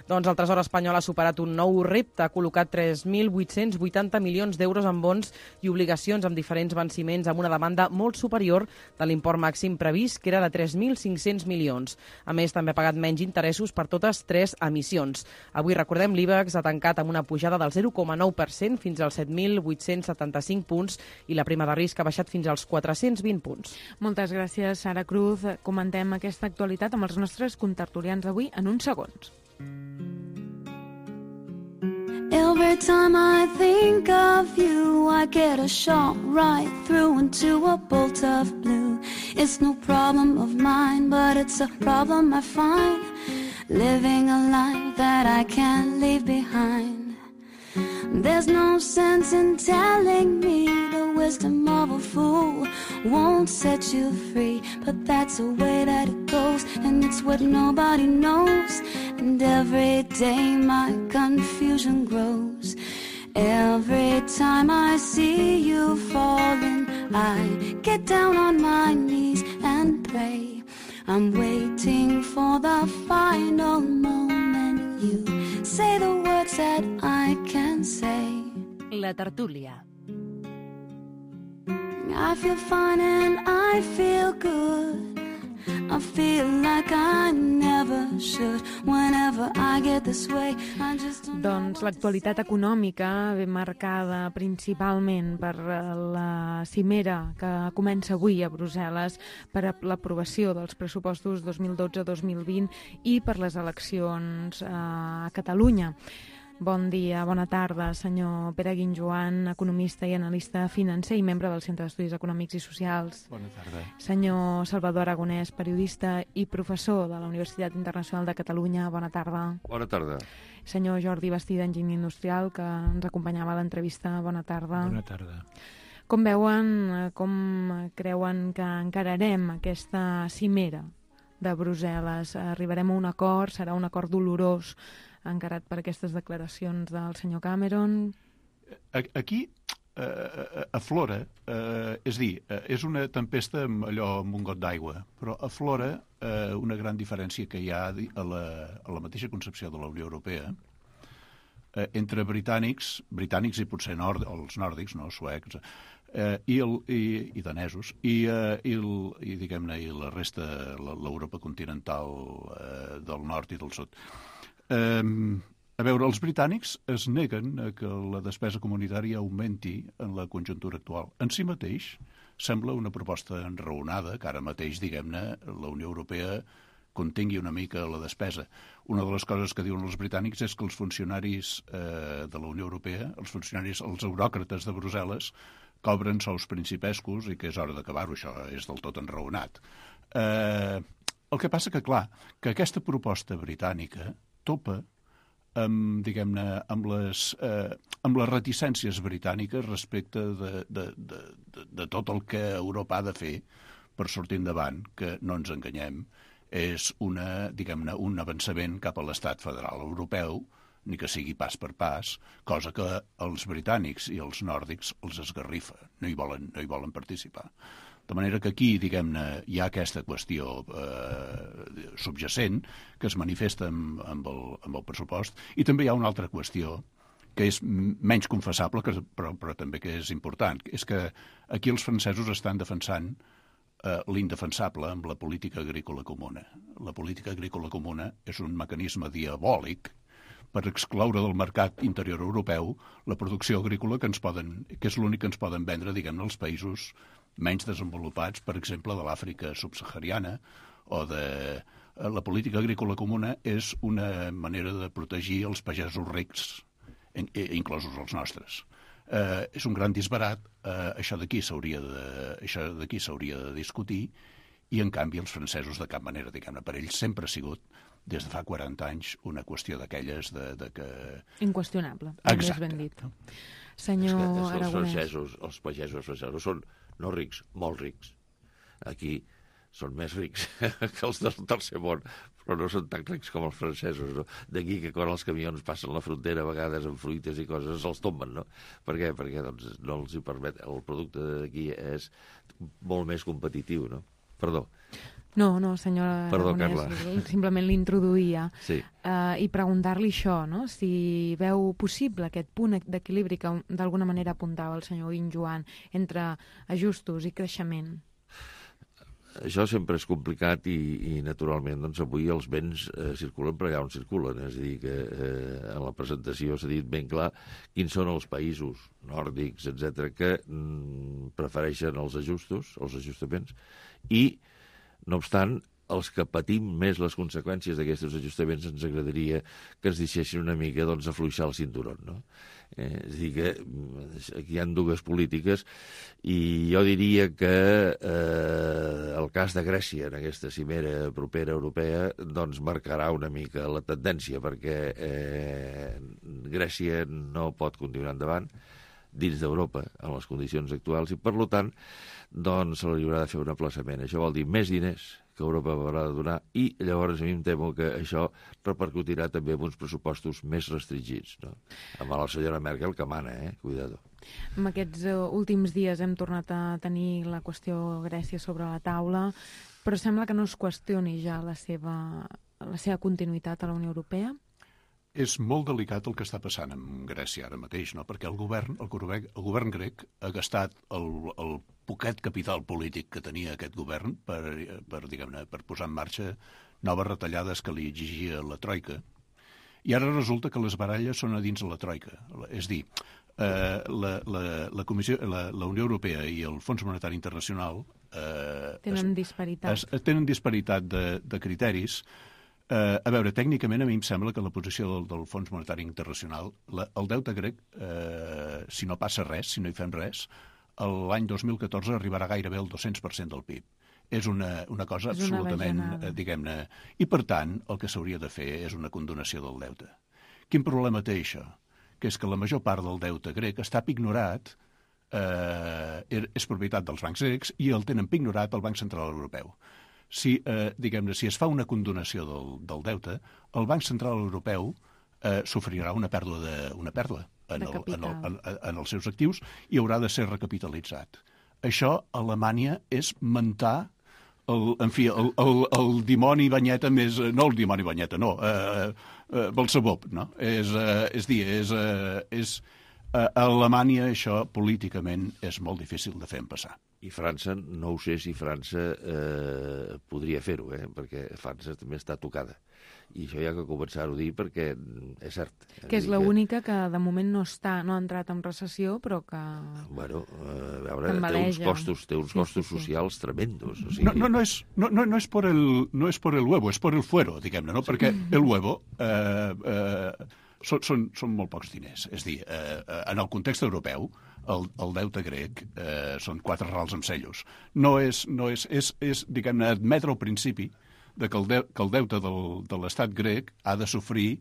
[SPEAKER 3] Doncs el Tresor espanyol ha superat un nou repte, ha col·locat tres mil vuit-cents vuitanta milions d'euros en bons i obligacions amb diferents venciments amb una demanda molt superior de l'import màxim previst, que era de tres mil cinc-cents milions. A més, també ha pagat menys interessos per totes tres emissions. Avui, recordem, l'IBEX ha tancat amb una pujada del zero coma nou per cent fins als set mil vuit-cents setanta-cinc punts i la prima de risc ha baixat fins als quatre-cents vint punts.
[SPEAKER 2] Moltes gràcies, Sara Cruz. Comentem aquesta actualitat amb els nostres contertulians d'avui en uns segons.
[SPEAKER 5] Every time I think of you, I get a shot right through into a bolt of blue. It's no problem of mine, but it's a problem I find, living a life that I can't leave behind. There's no sense in telling me the wisdom of a fool won't set you free, but that's the way that it goes, and it's what nobody knows. And every day my confusion grows. Every time I see you falling, I get down on my knees and pray. I'm waiting for the final moment you say the words that I can say.
[SPEAKER 1] La tertúlia.
[SPEAKER 5] I feel fine and I feel good. I feel like I never should. Whenever I get this way, I just don't...
[SPEAKER 2] Doncs l'actualitat econòmica ve marcada principalment per la cimera que comença avui a Brussel·les per a l'aprovació dels pressupostos dos mil dotze dos mil vint i per les eleccions a Catalunya. Bon dia, bona tarda, senyor Pere Guinjoan, economista i analista financer i membre del Centre d'Estudis Econòmics i Socials.
[SPEAKER 6] Bona tarda.
[SPEAKER 2] Senyor Salvador Aragonès, periodista i professor de la Universitat Internacional de Catalunya. Bona tarda.
[SPEAKER 6] Bona tarda.
[SPEAKER 2] Senyor Jordi Bastida, enginyer industrial, que ens acompanyava a l'entrevista. Bona tarda.
[SPEAKER 4] Bona tarda.
[SPEAKER 2] Com veuen, com creuen que encararem aquesta cimera de Brussel·les? Arribarem a un acord, serà un acord dolorós encarat per aquestes declaracions del senyor Cameron?
[SPEAKER 6] Aquí eh, aflora, eh, és dir, eh, és una tempesta amb allò amb un got d'aigua, però aflora eh, una gran diferència que hi ha a la, a la mateixa concepció de la Unió Europea eh, entre britànics, britànics i potser nord, els nòrdics, no, suecs, eh, i, el, i, i danesos, i, eh, i, el, i diguem-ne, i la resta, l'Europa continental eh, del nord i del sud. Eh, A veure, els britànics es neguen a que la despesa comunitària augmenti en la conjuntura actual. En si mateix sembla una proposta enraonada, que ara mateix, diguem-ne, la Unió Europea contingui una mica la despesa. Una de les coses que diuen els britànics és que els funcionaris eh, de la Unió Europea, els funcionaris, els euròcrates de Brussel·les, cobren sous principescos i que és hora d'acabar-ho, això és del tot enraonat. Eh, el que passa que, clar, que aquesta proposta britànica topa amb, diguem-ne, amb les, eh, amb les reticències britàniques respecte de, de, de, de, de tot el que Europa ha de fer per sortir endavant, que no ens enganyem, és una, diguem-ne, un avançament cap a l'estat federal europeu, ni que sigui pas per pas, cosa que els britànics i els nòrdics els esgarrifa, no hi volen, no hi volen participar. De manera que aquí, diguem-ne, hi ha aquesta qüestió eh, subjacent que es manifesta amb, amb, el, amb el pressupost, i també hi ha una altra qüestió que és menys confessable, que, però, però també que és important, és que aquí els francesos estan defensant eh, l'indefensable amb la política agrícola comuna. La política agrícola comuna és un mecanisme diabòlic per excloure del mercat interior europeu la producció agrícola que ens poden, que és l'únic que ens poden vendre, diguem-ne, els països menys desenvolupats, per exemple, de l'Àfrica subsahariana, o de... La política agrícola comuna és una manera de protegir els pagesos rics, inclosos els nostres. Eh, és un gran disbarat, eh, això d'aquí s'hauria de, això d'aquí s'hauria de discutir, i en canvi els francesos de cap manera, diguem-ne, per ells sempre ha sigut, des de fa quaranta anys, una qüestió d'aquelles de, de que...
[SPEAKER 2] Inqüestionable,
[SPEAKER 6] més
[SPEAKER 2] ben dit. Senyor
[SPEAKER 7] és que, és que els
[SPEAKER 2] Aragonès.
[SPEAKER 7] francesos, els pagesos francesos són no rics, molt rics. Aquí són més rics que els del tercer món, però no són tan rics com els francesos, no? D'aquí que quan els camions passen la frontera a vegades amb fruites i coses els tomben, no? Per què? Perquè doncs, no els hi permet... El producte d'aquí és molt més competitiu, no? Perdó.
[SPEAKER 2] No, no, senyora
[SPEAKER 7] Perdó,
[SPEAKER 2] Aragonès,
[SPEAKER 7] Carla.
[SPEAKER 2] simplement l'introduïa.
[SPEAKER 7] Sí.
[SPEAKER 2] Uh, I preguntar-li això, no? Si veu possible aquest punt d'equilibri que d'alguna manera apuntava el senyor Guinjoan entre ajustos i creixement.
[SPEAKER 7] Això sempre és complicat i, i naturalment, doncs, avui els béns eh, circulen per allà on circulen. És a dir, que eh, en la presentació s'ha dit ben clar quins són els països nòrdics, etcètera, que mm, prefereixen els ajustos, els ajustaments, i, no obstant, els que patim més les conseqüències d'aquests ajustaments ens agradaria que ens deixessin una mica, doncs, afluixar el cinturó, no? Eh, és a dir, que aquí hi ha dues polítiques i jo diria que eh, el cas de Grècia en aquesta cimera propera europea doncs marcarà una mica la tendència, perquè eh, Grècia no pot continuar endavant dins d'Europa en les condicions actuals i, per tant, doncs se li haurà de fer un aplaçament. Això vol dir més diners que Europa haurà de donar i llavors a mi em temo que això repercutirà també en uns pressupostos més restringits, no? Amb la senyora Merkel que mana, eh? Cuidado.
[SPEAKER 2] En aquests uh, últims dies hem tornat a tenir la qüestió Grècia sobre la taula, però sembla que no es qüestioni ja la seva, la seva continuïtat a la Unió Europea.
[SPEAKER 6] És molt delicat el que està passant amb Grècia ara mateix, no? Perquè el govern, el, govern, el govern grec ha gastat el, el poquet capital polític que tenia aquest govern per, per, diguem-ne, per posar en marxa noves retallades que li exigia la Troika. I ara resulta que les baralles són a dins de la Troika. És dir, eh, la, la, la, Comissió, la, la Unió Europea i el Fons Monetari Internacional eh,
[SPEAKER 2] tenen
[SPEAKER 6] es,
[SPEAKER 2] disparitat.
[SPEAKER 6] Es, tenen disparitat de, de criteris. Uh, a veure, tècnicament a mi em sembla que la posició del, del Fons Monetari Internacional, la, el deute grec, uh, si no passa res, si no hi fem res, l'any dos mil catorze arribarà gairebé al dos-cents per cent del P I B. És una, una cosa
[SPEAKER 2] és una
[SPEAKER 6] absolutament, uh, diguem-ne... I, per tant, el que s'hauria de fer és una condonació del deute. Quin problema té això? Que és que la major part del deute grec està pignorat, uh, és propietat dels bancs grecs, i el tenen pignorat el Banc Central Europeu. Si, eh, diguem-ne, si es fa una condonació del, del deute, el Banc Central Europeu eh, sofrirà una pèrdua, de, una pèrdua en, el, en, el, en, en els seus actius i haurà de ser recapitalitzat. Això a Alemanya és mentar el, en fi, el, el, el dimoni banyeta més... No el dimoni banyeta, no, eh, eh, Belzebub, no? És, eh, és dir, és... Eh, és a Alemanya això políticament és molt difícil de fer passar.
[SPEAKER 7] I França, no ho sé si França eh, podria fer-ho, eh? Perquè França també està tocada. I això hi ha que començar-ho a dir perquè és cert.
[SPEAKER 2] Que és l'única que de moment no està, no ha entrat en recessió, però que...
[SPEAKER 7] Bueno, a veure, té uns costos, té uns costos sí, sí, socials sí. tremendos. O sigui...
[SPEAKER 6] No, no, no, és, no, no, no, és por el, no és por el huevo, és por el fuero, diguem-ne, no? Sí. Perquè el huevo... Eh, eh, Són, són, són molt pocs diners. És dir, eh, en el context europeu, el, el deute grec eh, són quatre rals amb cellos. No és, no és, és, és diguem-ne, admetre al principi de que, el de, que el deute del, de l'estat grec ha de sofrir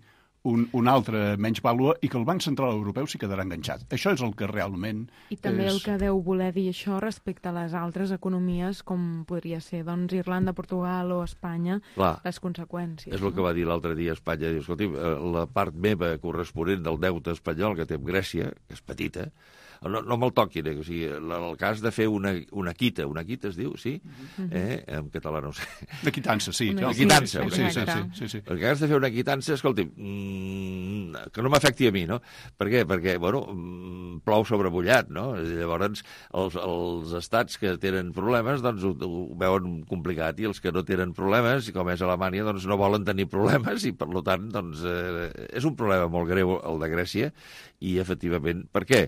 [SPEAKER 6] un, un altre menys vàlua i que el Banc Central Europeu s'hi quedarà enganxat. Això és el que realment...
[SPEAKER 2] I també
[SPEAKER 6] és...
[SPEAKER 2] el que deu voler dir això respecte a les altres economies, com podria ser doncs, Irlanda, Portugal o Espanya, clar, les conseqüències.
[SPEAKER 7] És no? El que va dir l'altre dia a Espanya. Diu, escolti, la part meva corresponent del deute espanyol que té amb Grècia, que és petita, no, no me'l toquin, eh? O sigui, el cas de fer una, una quita, una quita es diu, sí? Uh-huh. eh? En català no ho sé.
[SPEAKER 6] De quitança, sí.
[SPEAKER 7] Una quitança. Sí, sí,
[SPEAKER 6] sí, sí, sí, sí.
[SPEAKER 7] El cas de fer una quitança, escolti, mmm, que no m'afecti a mi, no? Per què? Perquè, bueno, plou sobre mullat, no? Llavors, els, els estats que tenen problemes, doncs ho, ho veuen complicat, i els que no tenen problemes, com és Alemanya, doncs no volen tenir problemes, i per tant, doncs, eh, és un problema molt greu el de Grècia, i efectivament, per què?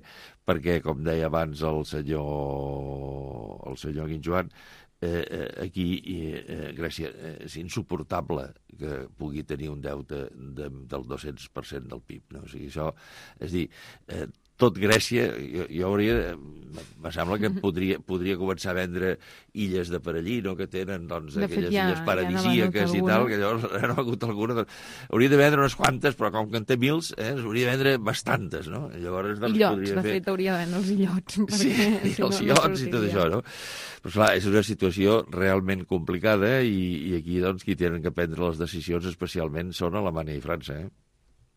[SPEAKER 7] Perquè, com deia abans el senyor, el senyor Guinjoan, eh, eh, aquí eh, Grècia eh, és insuportable que pugui tenir un deute de, del dos-cents per cent del P I B. No? O sigui, això, és dir, eh, tot Grècia, jo, jo hauria, me sembla que podria, podria començar a vendre illes de Parellino, que tenen, doncs, de aquelles fet, ja, illes paradisíaques ja i tal, que llavors no ha hagut alguna. Doncs, hauria de vendre unes quantes, però com que en té mils, eh, hauria de vendre bastantes, no? Llavors, doncs,
[SPEAKER 2] illots,
[SPEAKER 7] podria
[SPEAKER 2] de
[SPEAKER 7] fer...
[SPEAKER 2] fet, hauria de vendre els illots.
[SPEAKER 7] Sí, i els no, illots no i tot això, no? Però, clar, és una situació realment complicada i, i aquí, doncs, qui tenen que prendre les decisions especialment són Alemanya i França, eh?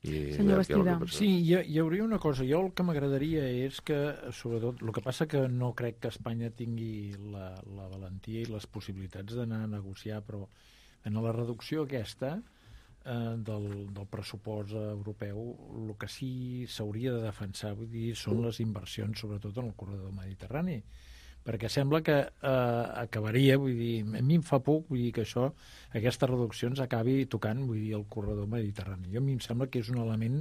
[SPEAKER 7] I
[SPEAKER 2] senyor Bastida.
[SPEAKER 4] Sí, hi, hi hauria una cosa. Jo el que m'agradaria és que, sobretot, el que passa que no crec que Espanya tingui la, la valentia i les possibilitats d'anar a negociar, però en la reducció aquesta eh, del, del pressupost europeu, el que sí s'hauria de defensar, vull dir, són les inversions, sobretot en el corredor mediterrani, perquè sembla que eh, acabaria, vull dir, a mi em fa por, vull dir que això, aquestes reduccions acabi tocant, vull dir, el corredor mediterrani. Jo a mi em sembla que és un element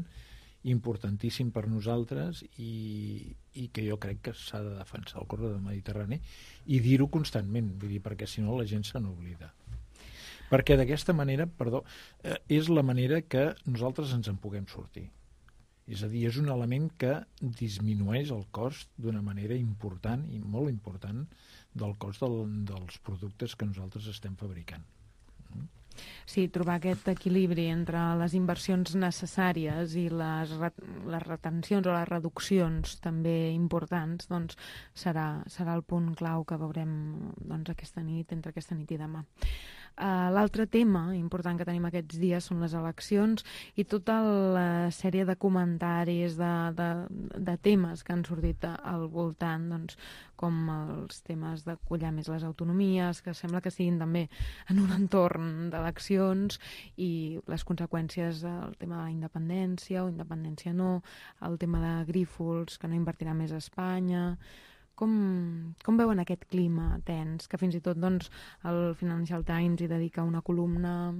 [SPEAKER 4] importantíssim per nosaltres i, i que jo crec que s'ha de defensar el corredor mediterrani i dir-ho constantment, vull dir, perquè si no la gent se n'oblida. Perquè d'aquesta manera, perdó, eh, és la manera que nosaltres ens en puguem sortir. És a dir, és un element que disminueix el cost d'una manera important i molt important del cost del, dels productes que nosaltres estem fabricant.
[SPEAKER 2] Sí, trobar aquest equilibri entre les inversions necessàries i les, les retencions o les reduccions també importants, doncs serà, serà el punt clau que veurem doncs, aquesta nit, entre aquesta nit i demà. Uh, L'altre tema important que tenim aquests dies són les eleccions i tota la sèrie de comentaris, de, de, de temes que han sortit al voltant, doncs, com els temes de collar més les autonomies, que sembla que siguin també en un entorn d'eleccions, i les conseqüències del tema de la independència o independència no, el tema de Grífols, que no invertirà més a Espanya. Com, com veuen aquest clima tens, que fins i tot doncs, el Financial Times hi dedica una columna,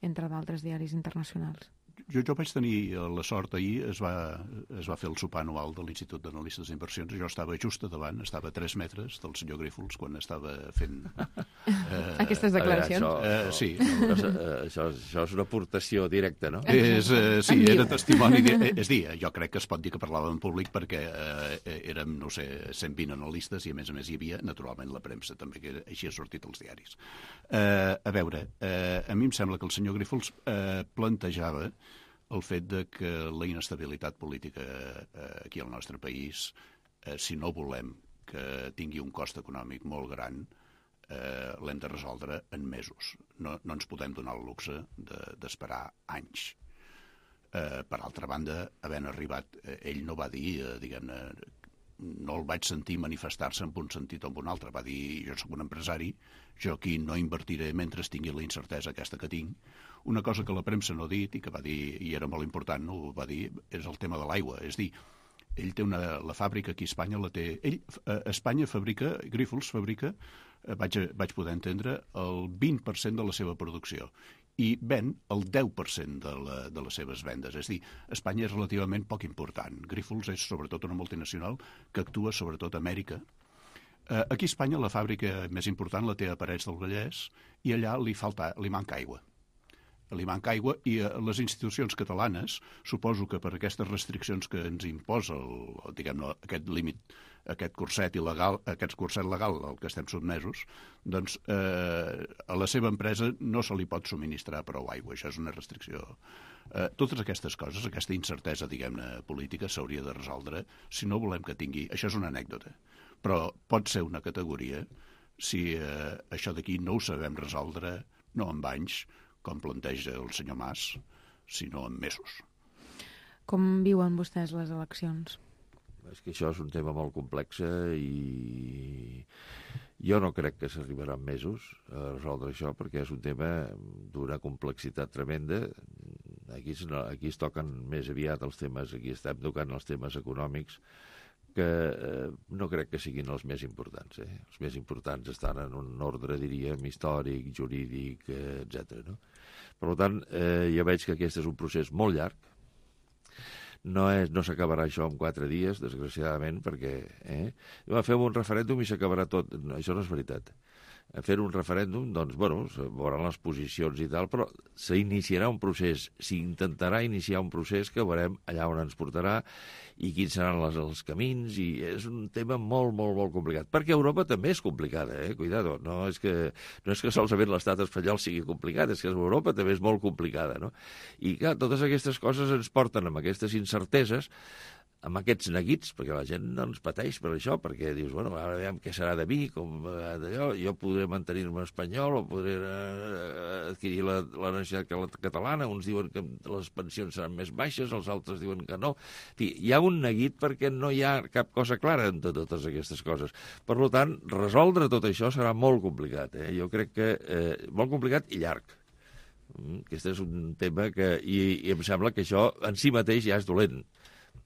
[SPEAKER 2] entre d'altres diaris internacionals?
[SPEAKER 6] Jo, jo vaig tenir la sort ahir, es va, es va fer el sopar anual de l'Institut d'Analistes d'Inversions, jo estava just a davant, estava a tres metres del senyor Grífols quan estava fent...
[SPEAKER 2] Eh, Aquestes declaracions?
[SPEAKER 7] Això,
[SPEAKER 6] eh, sí.
[SPEAKER 7] No, això, això, això és una aportació directa, no?
[SPEAKER 6] És, eh, sí, era testimoni... De, és dir, jo crec que es pot dir que parlava en públic perquè eh, érem, no sé, cent vint analistes i a més a més hi havia, naturalment, la premsa també, que així ha sortit als diaris. Eh, a veure, eh, a mi em sembla que el senyor Grífols eh, plantejava el fet de que la inestabilitat política eh, aquí al nostre país, eh, si no volem que tingui un cost econòmic molt gran, eh, l'hem de resoldre en mesos. No, no ens podem donar el luxe d'esperar de, anys. Eh, per altra banda, havent arribat, eh, ell no va dir, eh, diguem-ne, no el vaig sentir manifestar-se en un sentit o en un altre. Va dir, jo sóc un empresari, jo aquí no invertiré mentre tingui la incertesa aquesta que tinc. Una cosa que la premsa no ha dit i que va dir, i era molt important, no ho va dir, és el tema de l'aigua. És dir, ell té una, la fàbrica aquí a Espanya la té... Ell, a Espanya fabrica, Grifols fabrica, vaig, vaig poder entendre, el vint per cent de la seva producció i ven el deu per cent de, la, de les seves vendes. És a dir, Espanya és relativament poc important. Grifols és sobretot una multinacional que actua sobretot a Amèrica. Eh, aquí a Espanya la fàbrica més important la té a Parets del Vallès i allà li, falta, li manca aigua. Li manca aigua i eh, les institucions catalanes, suposo que per aquestes restriccions que ens imposa el, diguem-ne, aquest límit, aquest curset il·legal, aquest curset legal al que estem sotmesos, doncs eh, a la seva empresa no se li pot subministrar prou aigua. Això és una restricció. Eh, totes aquestes coses, aquesta incertesa, diguem-ne, política, s'hauria de resoldre si no volem que tingui... Això és una anècdota, però pot ser una categoria si eh, això d'aquí no ho sabem resoldre, no amb anys, com planteja el senyor Mas, sinó en mesos.
[SPEAKER 2] Com viuen vostès les eleccions?
[SPEAKER 7] És que això és un tema molt complex i jo no crec que s'arribarà en mesos a resoldre això, perquè és un tema d'una complexitat tremenda. Aquí es, aquí es toquen més aviat els temes, aquí estem tocant els temes econòmics, que eh, no crec que siguin els més importants. Eh? Els més importants estan en un ordre, diríem, històric, jurídic, eh, etcètera. No? Per tant, eh, jo veig que aquest és un procés molt llarg. No, és, no s'acabarà això en quatre dies, desgraciadament, perquè eh, fem un referèndum i s'acabarà tot. No, això no és veritat. Fer un referèndum, doncs, bueno, veuran les posicions i tal, però s'iniciarà un procés, s'intentarà iniciar un procés que veurem allà on ens portarà i quins seran les, els camins, i és un tema molt, molt, molt complicat. Perquè Europa també és complicada, eh? Cuidado, no és que, no és que solament l'estat espanyol sigui complicat, és que Europa també és molt complicada, no? I, clar, totes aquestes coses ens porten amb aquestes incerteses, amb aquests neguits, perquè la gent no ens pateix per això, perquè dius, bueno, ara veiem què serà de mi, com d'allò, jo podré mantenir-me espanyol o podré eh, adquirir la, la nacionalitat catalana, uns diuen que les pensions seran més baixes, els altres diuen que no. En fi, hi ha un neguit perquè no hi ha cap cosa clara en totes aquestes coses. Per tant, resoldre tot això serà molt complicat. Eh? Jo crec que eh, molt complicat i llarg. Aquest és un tema que... I, i em sembla que això en si mateix ja és dolent.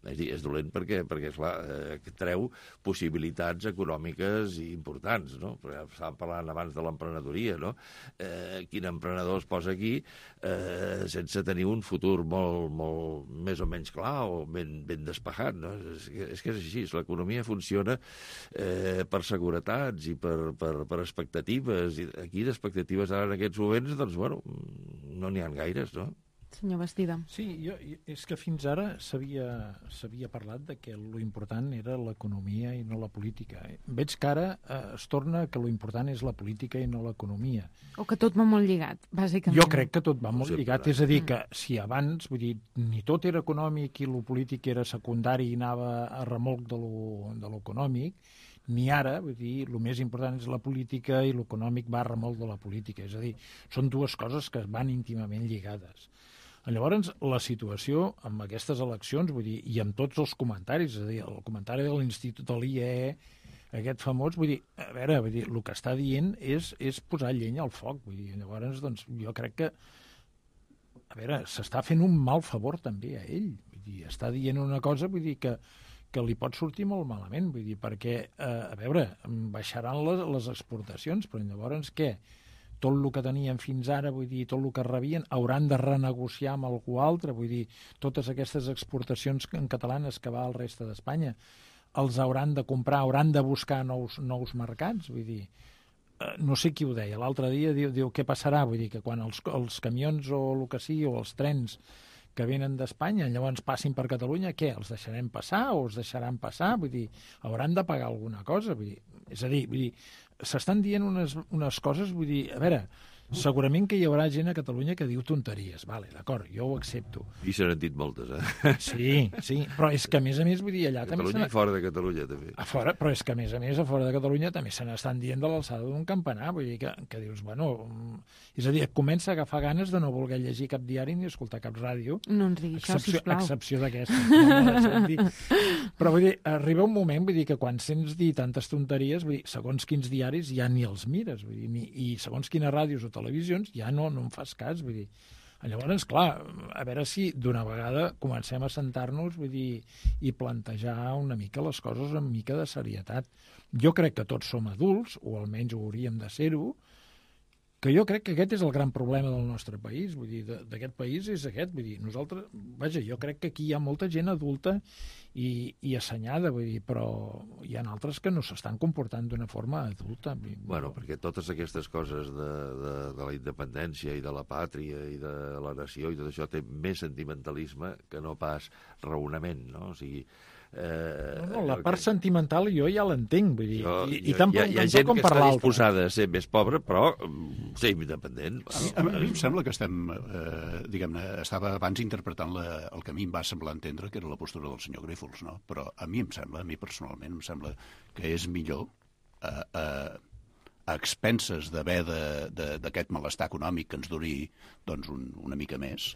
[SPEAKER 7] És dir, és dolent perquè, perquè esclar, eh, treu possibilitats econòmiques importants, no? Estàvem parlant abans de l'emprenedoria, no? Eh, quin emprenedor es posa aquí eh, sense tenir un futur molt, molt més o menys clar o ben, ben despejat, no? És, és que és així, l'economia funciona eh, per seguretats i per, per, per expectatives, i aquí d'expectatives ara en aquests moments, doncs, bueno, no n'hi ha gaires, no?
[SPEAKER 2] Senyor Bastida.
[SPEAKER 4] Sí, jo, és que fins ara s'havia parlat de que lo important era l'economia i no la política. Veig que ara eh, es torna que lo important és la política i no l'economia.
[SPEAKER 2] O que tot va molt lligat, bàsicament.
[SPEAKER 4] Jo crec que tot va molt lligat. És a dir, que si abans, vull dir, ni tot era econòmic i lo polític era secundari i anava a remolc de lo, de lo econòmic, ni ara, vull dir, el més important és la política i l'econòmic va a remolc de la política. És a dir, són dues coses que van íntimament lligades. Llavors, la situació amb aquestes eleccions, vull dir, i amb tots els comentaris, és a dir, el comentari de l'Institut de l'I E E, aquest famós, vull dir, a veure, vull dir, el que està dient és, és posar llenya al foc, vull dir, llavors, doncs, jo crec que, a veure, s'està fent un mal favor també a ell, vull dir, està dient una cosa, vull dir, que, que li pot sortir molt malament, vull dir, perquè, eh, a veure, baixaran les, les exportacions, però llavors què? Tot el que tenien fins ara, vull dir, tot el que rebien, hauran de renegociar amb algú altre, vull dir, totes aquestes exportacions en catalanes que va al reste d'Espanya, els hauran de comprar, hauran de buscar nous, nous mercats, vull dir, eh, no sé qui ho deia, l'altre dia diu, diu què passarà, vull dir, que quan els, els camions o el que sigui, o els trens que venen d'Espanya, llavors passin per Catalunya, què, els deixarem passar o els deixaran passar? Vull dir, hauran de pagar alguna cosa, vull dir, és a dir, vull dir, s'estan dient unes, unes coses, vull dir, a veure, segurament que hi haurà gent a Catalunya que diu tonteries, vale, d'acord, jo ho accepto.
[SPEAKER 7] I se n'han dit moltes, eh?
[SPEAKER 4] Sí, sí, però és que a més a més, vull dir, allà
[SPEAKER 7] a
[SPEAKER 4] també...
[SPEAKER 7] Catalunya i fora de Catalunya, també.
[SPEAKER 4] A fora, però és que a més a més, a fora de Catalunya també se n'estan dient de l'alçada d'un campanar, vull dir que, que dius, bueno... És a dir, et comença a agafar ganes de no voler llegir cap diari ni escoltar cap ràdio.
[SPEAKER 2] No ens digui això, sisplau.
[SPEAKER 4] Excepció d'aquesta. No però vull dir, arriba un moment, vull dir, que quan sents dir tantes tonteries, vull dir, segons quins diaris ja ni els mires, vull dir, ni, i segons quines ràdios o televisions ja no, no en fas cas, vull dir. Llavors, clar, a veure si d'una vegada comencem a sentar-nos, vull dir, i plantejar una mica les coses amb mica de serietat. Jo crec que tots som adults, o almenys ho hauríem de ser-ho, que jo crec que aquest és el gran problema del nostre país, vull dir, d'aquest país és aquest, vull dir, nosaltres, vaja, jo crec que aquí hi ha molta gent adulta i, i assenyada, vull dir, però hi ha altres que no s'estan comportant d'una forma adulta.
[SPEAKER 7] Bueno, perquè totes aquestes coses de, de, de la independència i de la pàtria i de la nació i tot això té més sentimentalisme que no pas raonament, no? O sigui,
[SPEAKER 4] Eh, no, no, la part que... sentimental jo ja l'entenc, vull dir, jo, i, i tant
[SPEAKER 7] hi ha, hi ha gent
[SPEAKER 4] com
[SPEAKER 7] que
[SPEAKER 4] per
[SPEAKER 7] està
[SPEAKER 4] l'altre.
[SPEAKER 7] Disposada a ser més pobra, però ser independent.
[SPEAKER 6] A mi, a, a mi em sembla que estem, eh, diguem-ne, estava abans interpretant la, el que a mi em va semblar entendre, que era la postura del senyor Grífols, no? Però a mi em sembla, a mi personalment, em sembla que és millor eh, eh, a expenses d'haver d'aquest malestar econòmic que ens duri doncs, un, una mica més,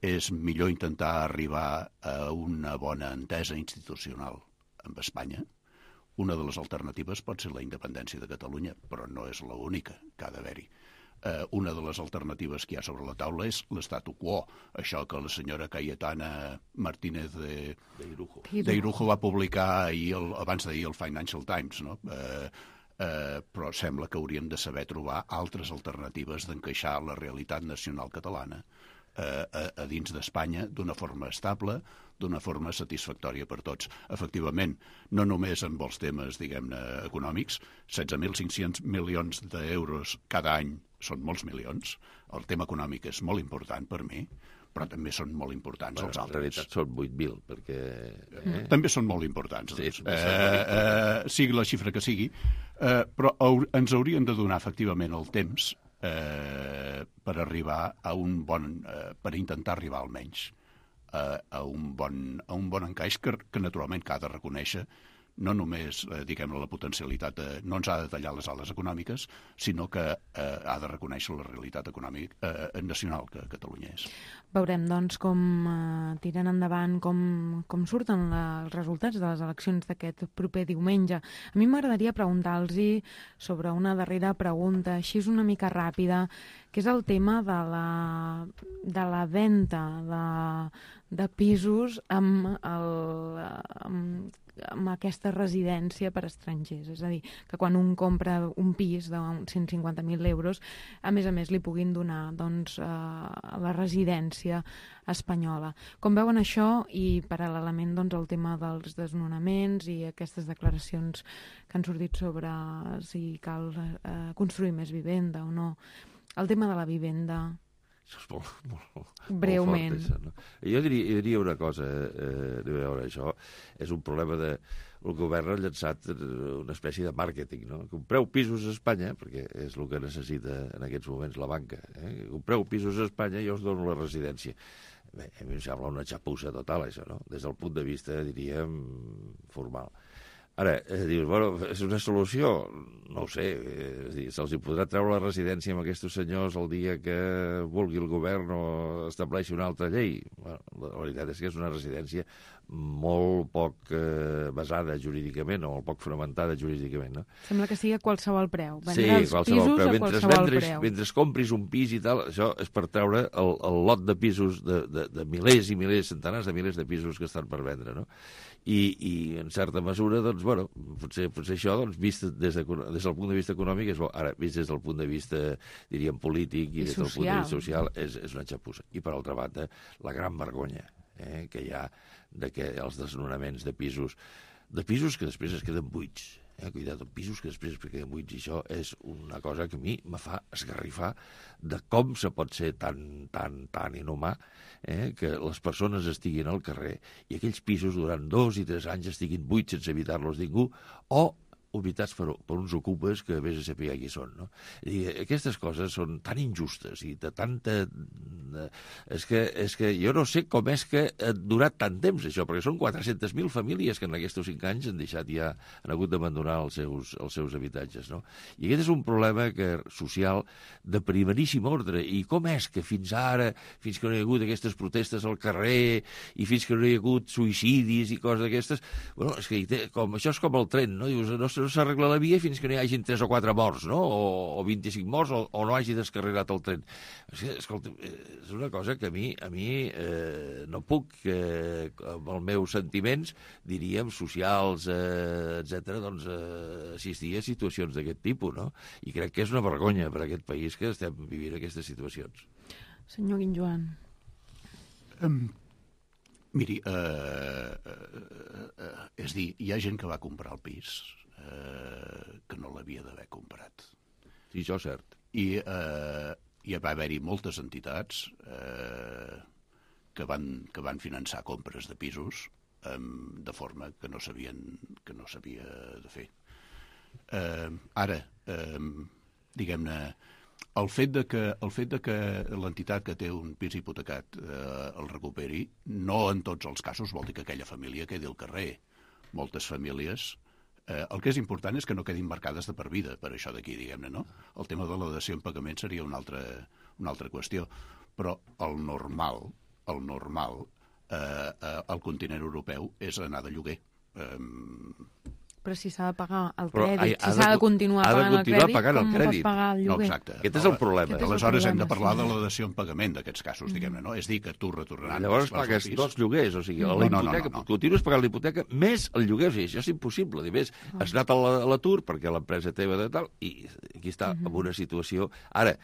[SPEAKER 6] és millor intentar arribar a una bona entesa institucional amb Espanya. Una de les alternatives pot ser la independència de Catalunya, però no és l'única que ha d'haver-hi. Eh, una de les alternatives que hi ha sobre la taula és l'estatu quo, això que la senyora Cayetana Martínez de, de Irujo va publicar ahir, el, abans d'ahir el Financial Times, no? Eh, eh, però sembla que hauríem de saber trobar altres alternatives d'encaixar la realitat nacional catalana A, a, a dins d'Espanya d'una forma estable, d'una forma satisfactòria per tots. Efectivament, no només amb els temes, diguem-ne, econòmics, setze mil cinc-cents milions d'euros cada any són molts milions. El tema econòmic és molt important per mi, però també són molt importants
[SPEAKER 7] bueno,
[SPEAKER 6] els altres.
[SPEAKER 7] En realitat són vuit mil, perquè...
[SPEAKER 6] Eh? També són molt importants.
[SPEAKER 7] Sí,
[SPEAKER 6] doncs. eh, eh, sigui la xifra que sigui, eh, però ens haurien de donar efectivament el temps Eh, per arribar a un bon, eh, per intentar arribar almenys eh, a, un bon, a un bon encaix que, que naturalment que ha de reconèixer no només, eh, diguem-ne, la potencialitat, de, no ens ha de tallar les ales econòmiques, sinó que eh, ha de reconèixer la realitat econòmica eh, nacional que Catalunya és.
[SPEAKER 2] Veurem, doncs, com eh, tiren endavant, com, com surten la, els resultats de les eleccions d'aquest proper diumenge. A mi m'agradaria preguntar-los sobre una darrera pregunta, així és una mica ràpida, que és el tema de la, de la venda de, de pisos amb, el, amb amb aquesta residència per estrangers. És a dir, que quan un compra un pis de cent cinquanta mil euros, a més a més li puguin donar doncs, eh, la residència espanyola. Com veuen això i paral·lelament doncs, el tema dels desnonaments i aquestes declaracions que han sortit sobre si cal eh, construir més vivenda o no. El tema de la vivenda...
[SPEAKER 7] Això és molt, molt,
[SPEAKER 2] breument.
[SPEAKER 7] Molt fort, això, no? Jo diria, jo diria una cosa, eh, a veure, això és un problema de... El govern ha llançat una espècie de màrqueting, no? Compreu pisos a Espanya, perquè és el que necessita en aquests moments la banca. Eh? Compreu pisos a Espanya i jo us dono la residència. Bé, a mi em sembla una xapussa total, això, no? Des del punt de vista, diríem, formal. Ara, eh, dius, bueno, és una solució? No ho sé, eh, se'ls hi podrà treure la residència amb aquests senyors el dia que vulgui el govern o estableixi una altra llei? Bueno, la veritat és que és una residència molt poc eh, basada jurídicament o molt poc fonamentada jurídicament, no?
[SPEAKER 2] Sembla que sigui a qualsevol preu. Vendre
[SPEAKER 7] sí,
[SPEAKER 2] els
[SPEAKER 7] qualsevol
[SPEAKER 2] pisos
[SPEAKER 7] preu.
[SPEAKER 2] a
[SPEAKER 7] Mentre
[SPEAKER 2] qualsevol
[SPEAKER 7] vendres,
[SPEAKER 2] preu.
[SPEAKER 7] Mentre compris un pis i tal, això és per treure el, el lot de pisos, de, de, de milers i milers, centenars de milers de pisos que estan per vendre, no? I, i en certa mesura, doncs, bueno, potser, potser això, doncs, vist des, de, des del punt de vista econòmic, és bo. Ara, vist des del punt de vista, diríem, polític i,
[SPEAKER 2] I
[SPEAKER 7] des
[SPEAKER 2] social.
[SPEAKER 7] del punt de vista social, és, és una xapussa. I, per altra banda, la gran vergonya eh, que hi ha de que els desnonaments de pisos, de pisos que després es queden buits, eh, cuidat, pisos que després es queden buits, i això és una cosa que a mi me fa esgarrifar de com se pot ser tan, tan, tan inhumà eh, que les persones estiguin al carrer i aquells pisos durant dos i tres anys estiguin buits sense evitar-los ningú, o ubicats per, per uns ocupes que vés a saber qui són, no? I aquestes coses són tan injustes i de tanta... És que, és que jo no sé com és que ha durat tant temps, això, perquè són quatre-centes mil famílies que en aquests cinc anys han deixat ja, han hagut d'abandonar els seus, els seus habitatges, no? I aquest és un problema que, social de primeríssim ordre. I com és que fins ara, fins que no hi ha hagut aquestes protestes al carrer i fins que no hi ha hagut suïcidis i coses d'aquestes, bueno, és que com, això és com el tren, no? Dius, no, no s'arregla la via fins que no hi hagin tres o quatre morts, no? O, o vint-i-cinc morts, o, o no hagi descarregat el tren. És que, escolta, és una cosa que a mi, a mi eh, no puc, eh, amb els meus sentiments, diríem, socials, eh, etcètera, doncs eh, assistir a situacions d'aquest tipus, no? I crec que és una vergonya per a aquest país que estem vivint aquestes situacions.
[SPEAKER 2] Senyor Guinjoan.
[SPEAKER 6] Um, miri, uh, uh, uh, és dir, hi ha gent que va comprar el pis uh, que no l'havia d'haver comprat.
[SPEAKER 7] Sí, això és cert.
[SPEAKER 6] I uh, hi va haver-hi moltes entitats uh, que, van, que van finançar compres de pisos um, de forma que no sabien que no s'havia de fer. Uh, ara, um, diguem-ne, el fet de que, el fet de que l'entitat que té un pis hipotecat eh, el recuperi, no en tots els casos vol dir que aquella família quedi al carrer. Moltes famílies, eh, el que és important és que no quedin marcades de per vida per això d'aquí, diguem-ne, no? El tema de la dació en pagament seria una altra, una altra qüestió. Però el normal, el normal, eh, eh, al continent europeu és anar de lloguer. Eh,
[SPEAKER 2] Però si s'ha de pagar el
[SPEAKER 7] Però
[SPEAKER 2] crèdit,
[SPEAKER 7] ha- ha
[SPEAKER 2] si
[SPEAKER 7] de-
[SPEAKER 2] s'ha de continuar
[SPEAKER 7] ha de
[SPEAKER 2] pagant el
[SPEAKER 7] continuar
[SPEAKER 2] crèdit,
[SPEAKER 7] pagant el
[SPEAKER 2] com
[SPEAKER 7] crèdit.
[SPEAKER 2] pots pagar el
[SPEAKER 6] No,
[SPEAKER 2] lloguer?
[SPEAKER 6] exacte.
[SPEAKER 7] Aquest és el problema.
[SPEAKER 2] Aquest és el
[SPEAKER 6] Aleshores hem de
[SPEAKER 2] problema,
[SPEAKER 6] parlar
[SPEAKER 2] sí.
[SPEAKER 6] de la dació en pagament d'aquests casos, diguem-ne, no? És dir, que tu retornant...
[SPEAKER 7] Llavors
[SPEAKER 6] els
[SPEAKER 7] pagues
[SPEAKER 6] pis-
[SPEAKER 7] dos lloguers, o sigui, a
[SPEAKER 6] No,
[SPEAKER 7] la
[SPEAKER 6] no, no,
[SPEAKER 7] hipoteca,
[SPEAKER 6] no, no.
[SPEAKER 7] continues pagant la hipoteca més el lloguer, o sigui, això és impossible. A més, has anat a la- a l'atur perquè l'empresa teva de tal, i aquí està, en una situació... Ara,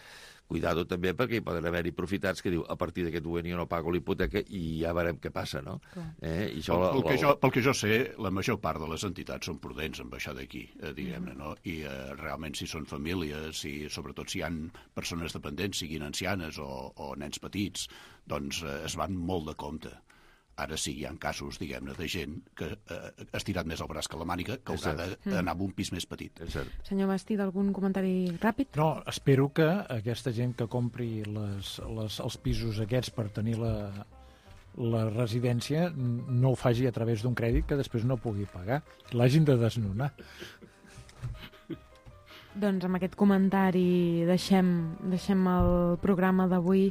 [SPEAKER 7] cuidado també, perquè hi poden haver-hi profitats que diu, a partir d'aquest moment jo no pago la hipoteca i ja veurem què passa, no? Eh? I això,
[SPEAKER 6] Pel, pel, que
[SPEAKER 7] la-
[SPEAKER 6] jo, pel que jo sé, la major part de les entitats són prudents amb això d'aquí, eh, diguem-ne, no? I eh, realment si són famílies, i sobretot si hi ha persones dependents, siguin ancianes o, o nens petits, doncs eh, es van molt de compte. Ara sí, hi ha casos, diguem-ne, de gent que eh, ha estirat més el braç que la màniga, que
[SPEAKER 7] És
[SPEAKER 6] haurà de- d'anar amb un pis més petit.
[SPEAKER 7] És cert.
[SPEAKER 2] Senyor Bastida, algun comentari ràpid?
[SPEAKER 4] No, espero que aquesta gent que compri les, les, els pisos aquests per tenir la, la residència no ho faci a través d'un crèdit que després no pugui pagar. L'hagin de desnonar.
[SPEAKER 2] Doncs amb aquest comentari deixem, deixem el programa d'avui.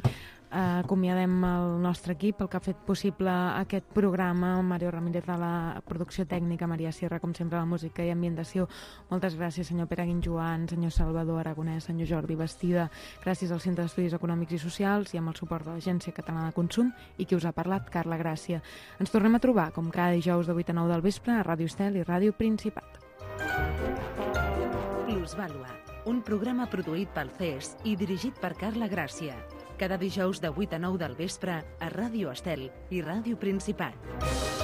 [SPEAKER 2] Uh, acomiadem el nostre equip, el que ha fet possible aquest programa, Mario Ramírez de la producció tècnica, Maria Sierra, com sempre, la música i ambientació. Moltes gràcies, senyor Pere Guinjoan, senyor Salvador Aragonès, senyor Jordi Bastida. Gràcies al Centre d'Estudis Econòmics i Socials i amb el suport de l'Agència Catalana de Consum, i qui us ha parlat, Carla Gràcia. Ens tornem a trobar, com cada dijous de vuit a nou del vespre, a Ràdio Estel i Ràdio Principat.
[SPEAKER 1] Plusvàlua, un programa produït pel C E S i dirigit per Carla Gràcia. Cada dijous de vuit a nou del vespre a Ràdio Estel i Ràdio Principat.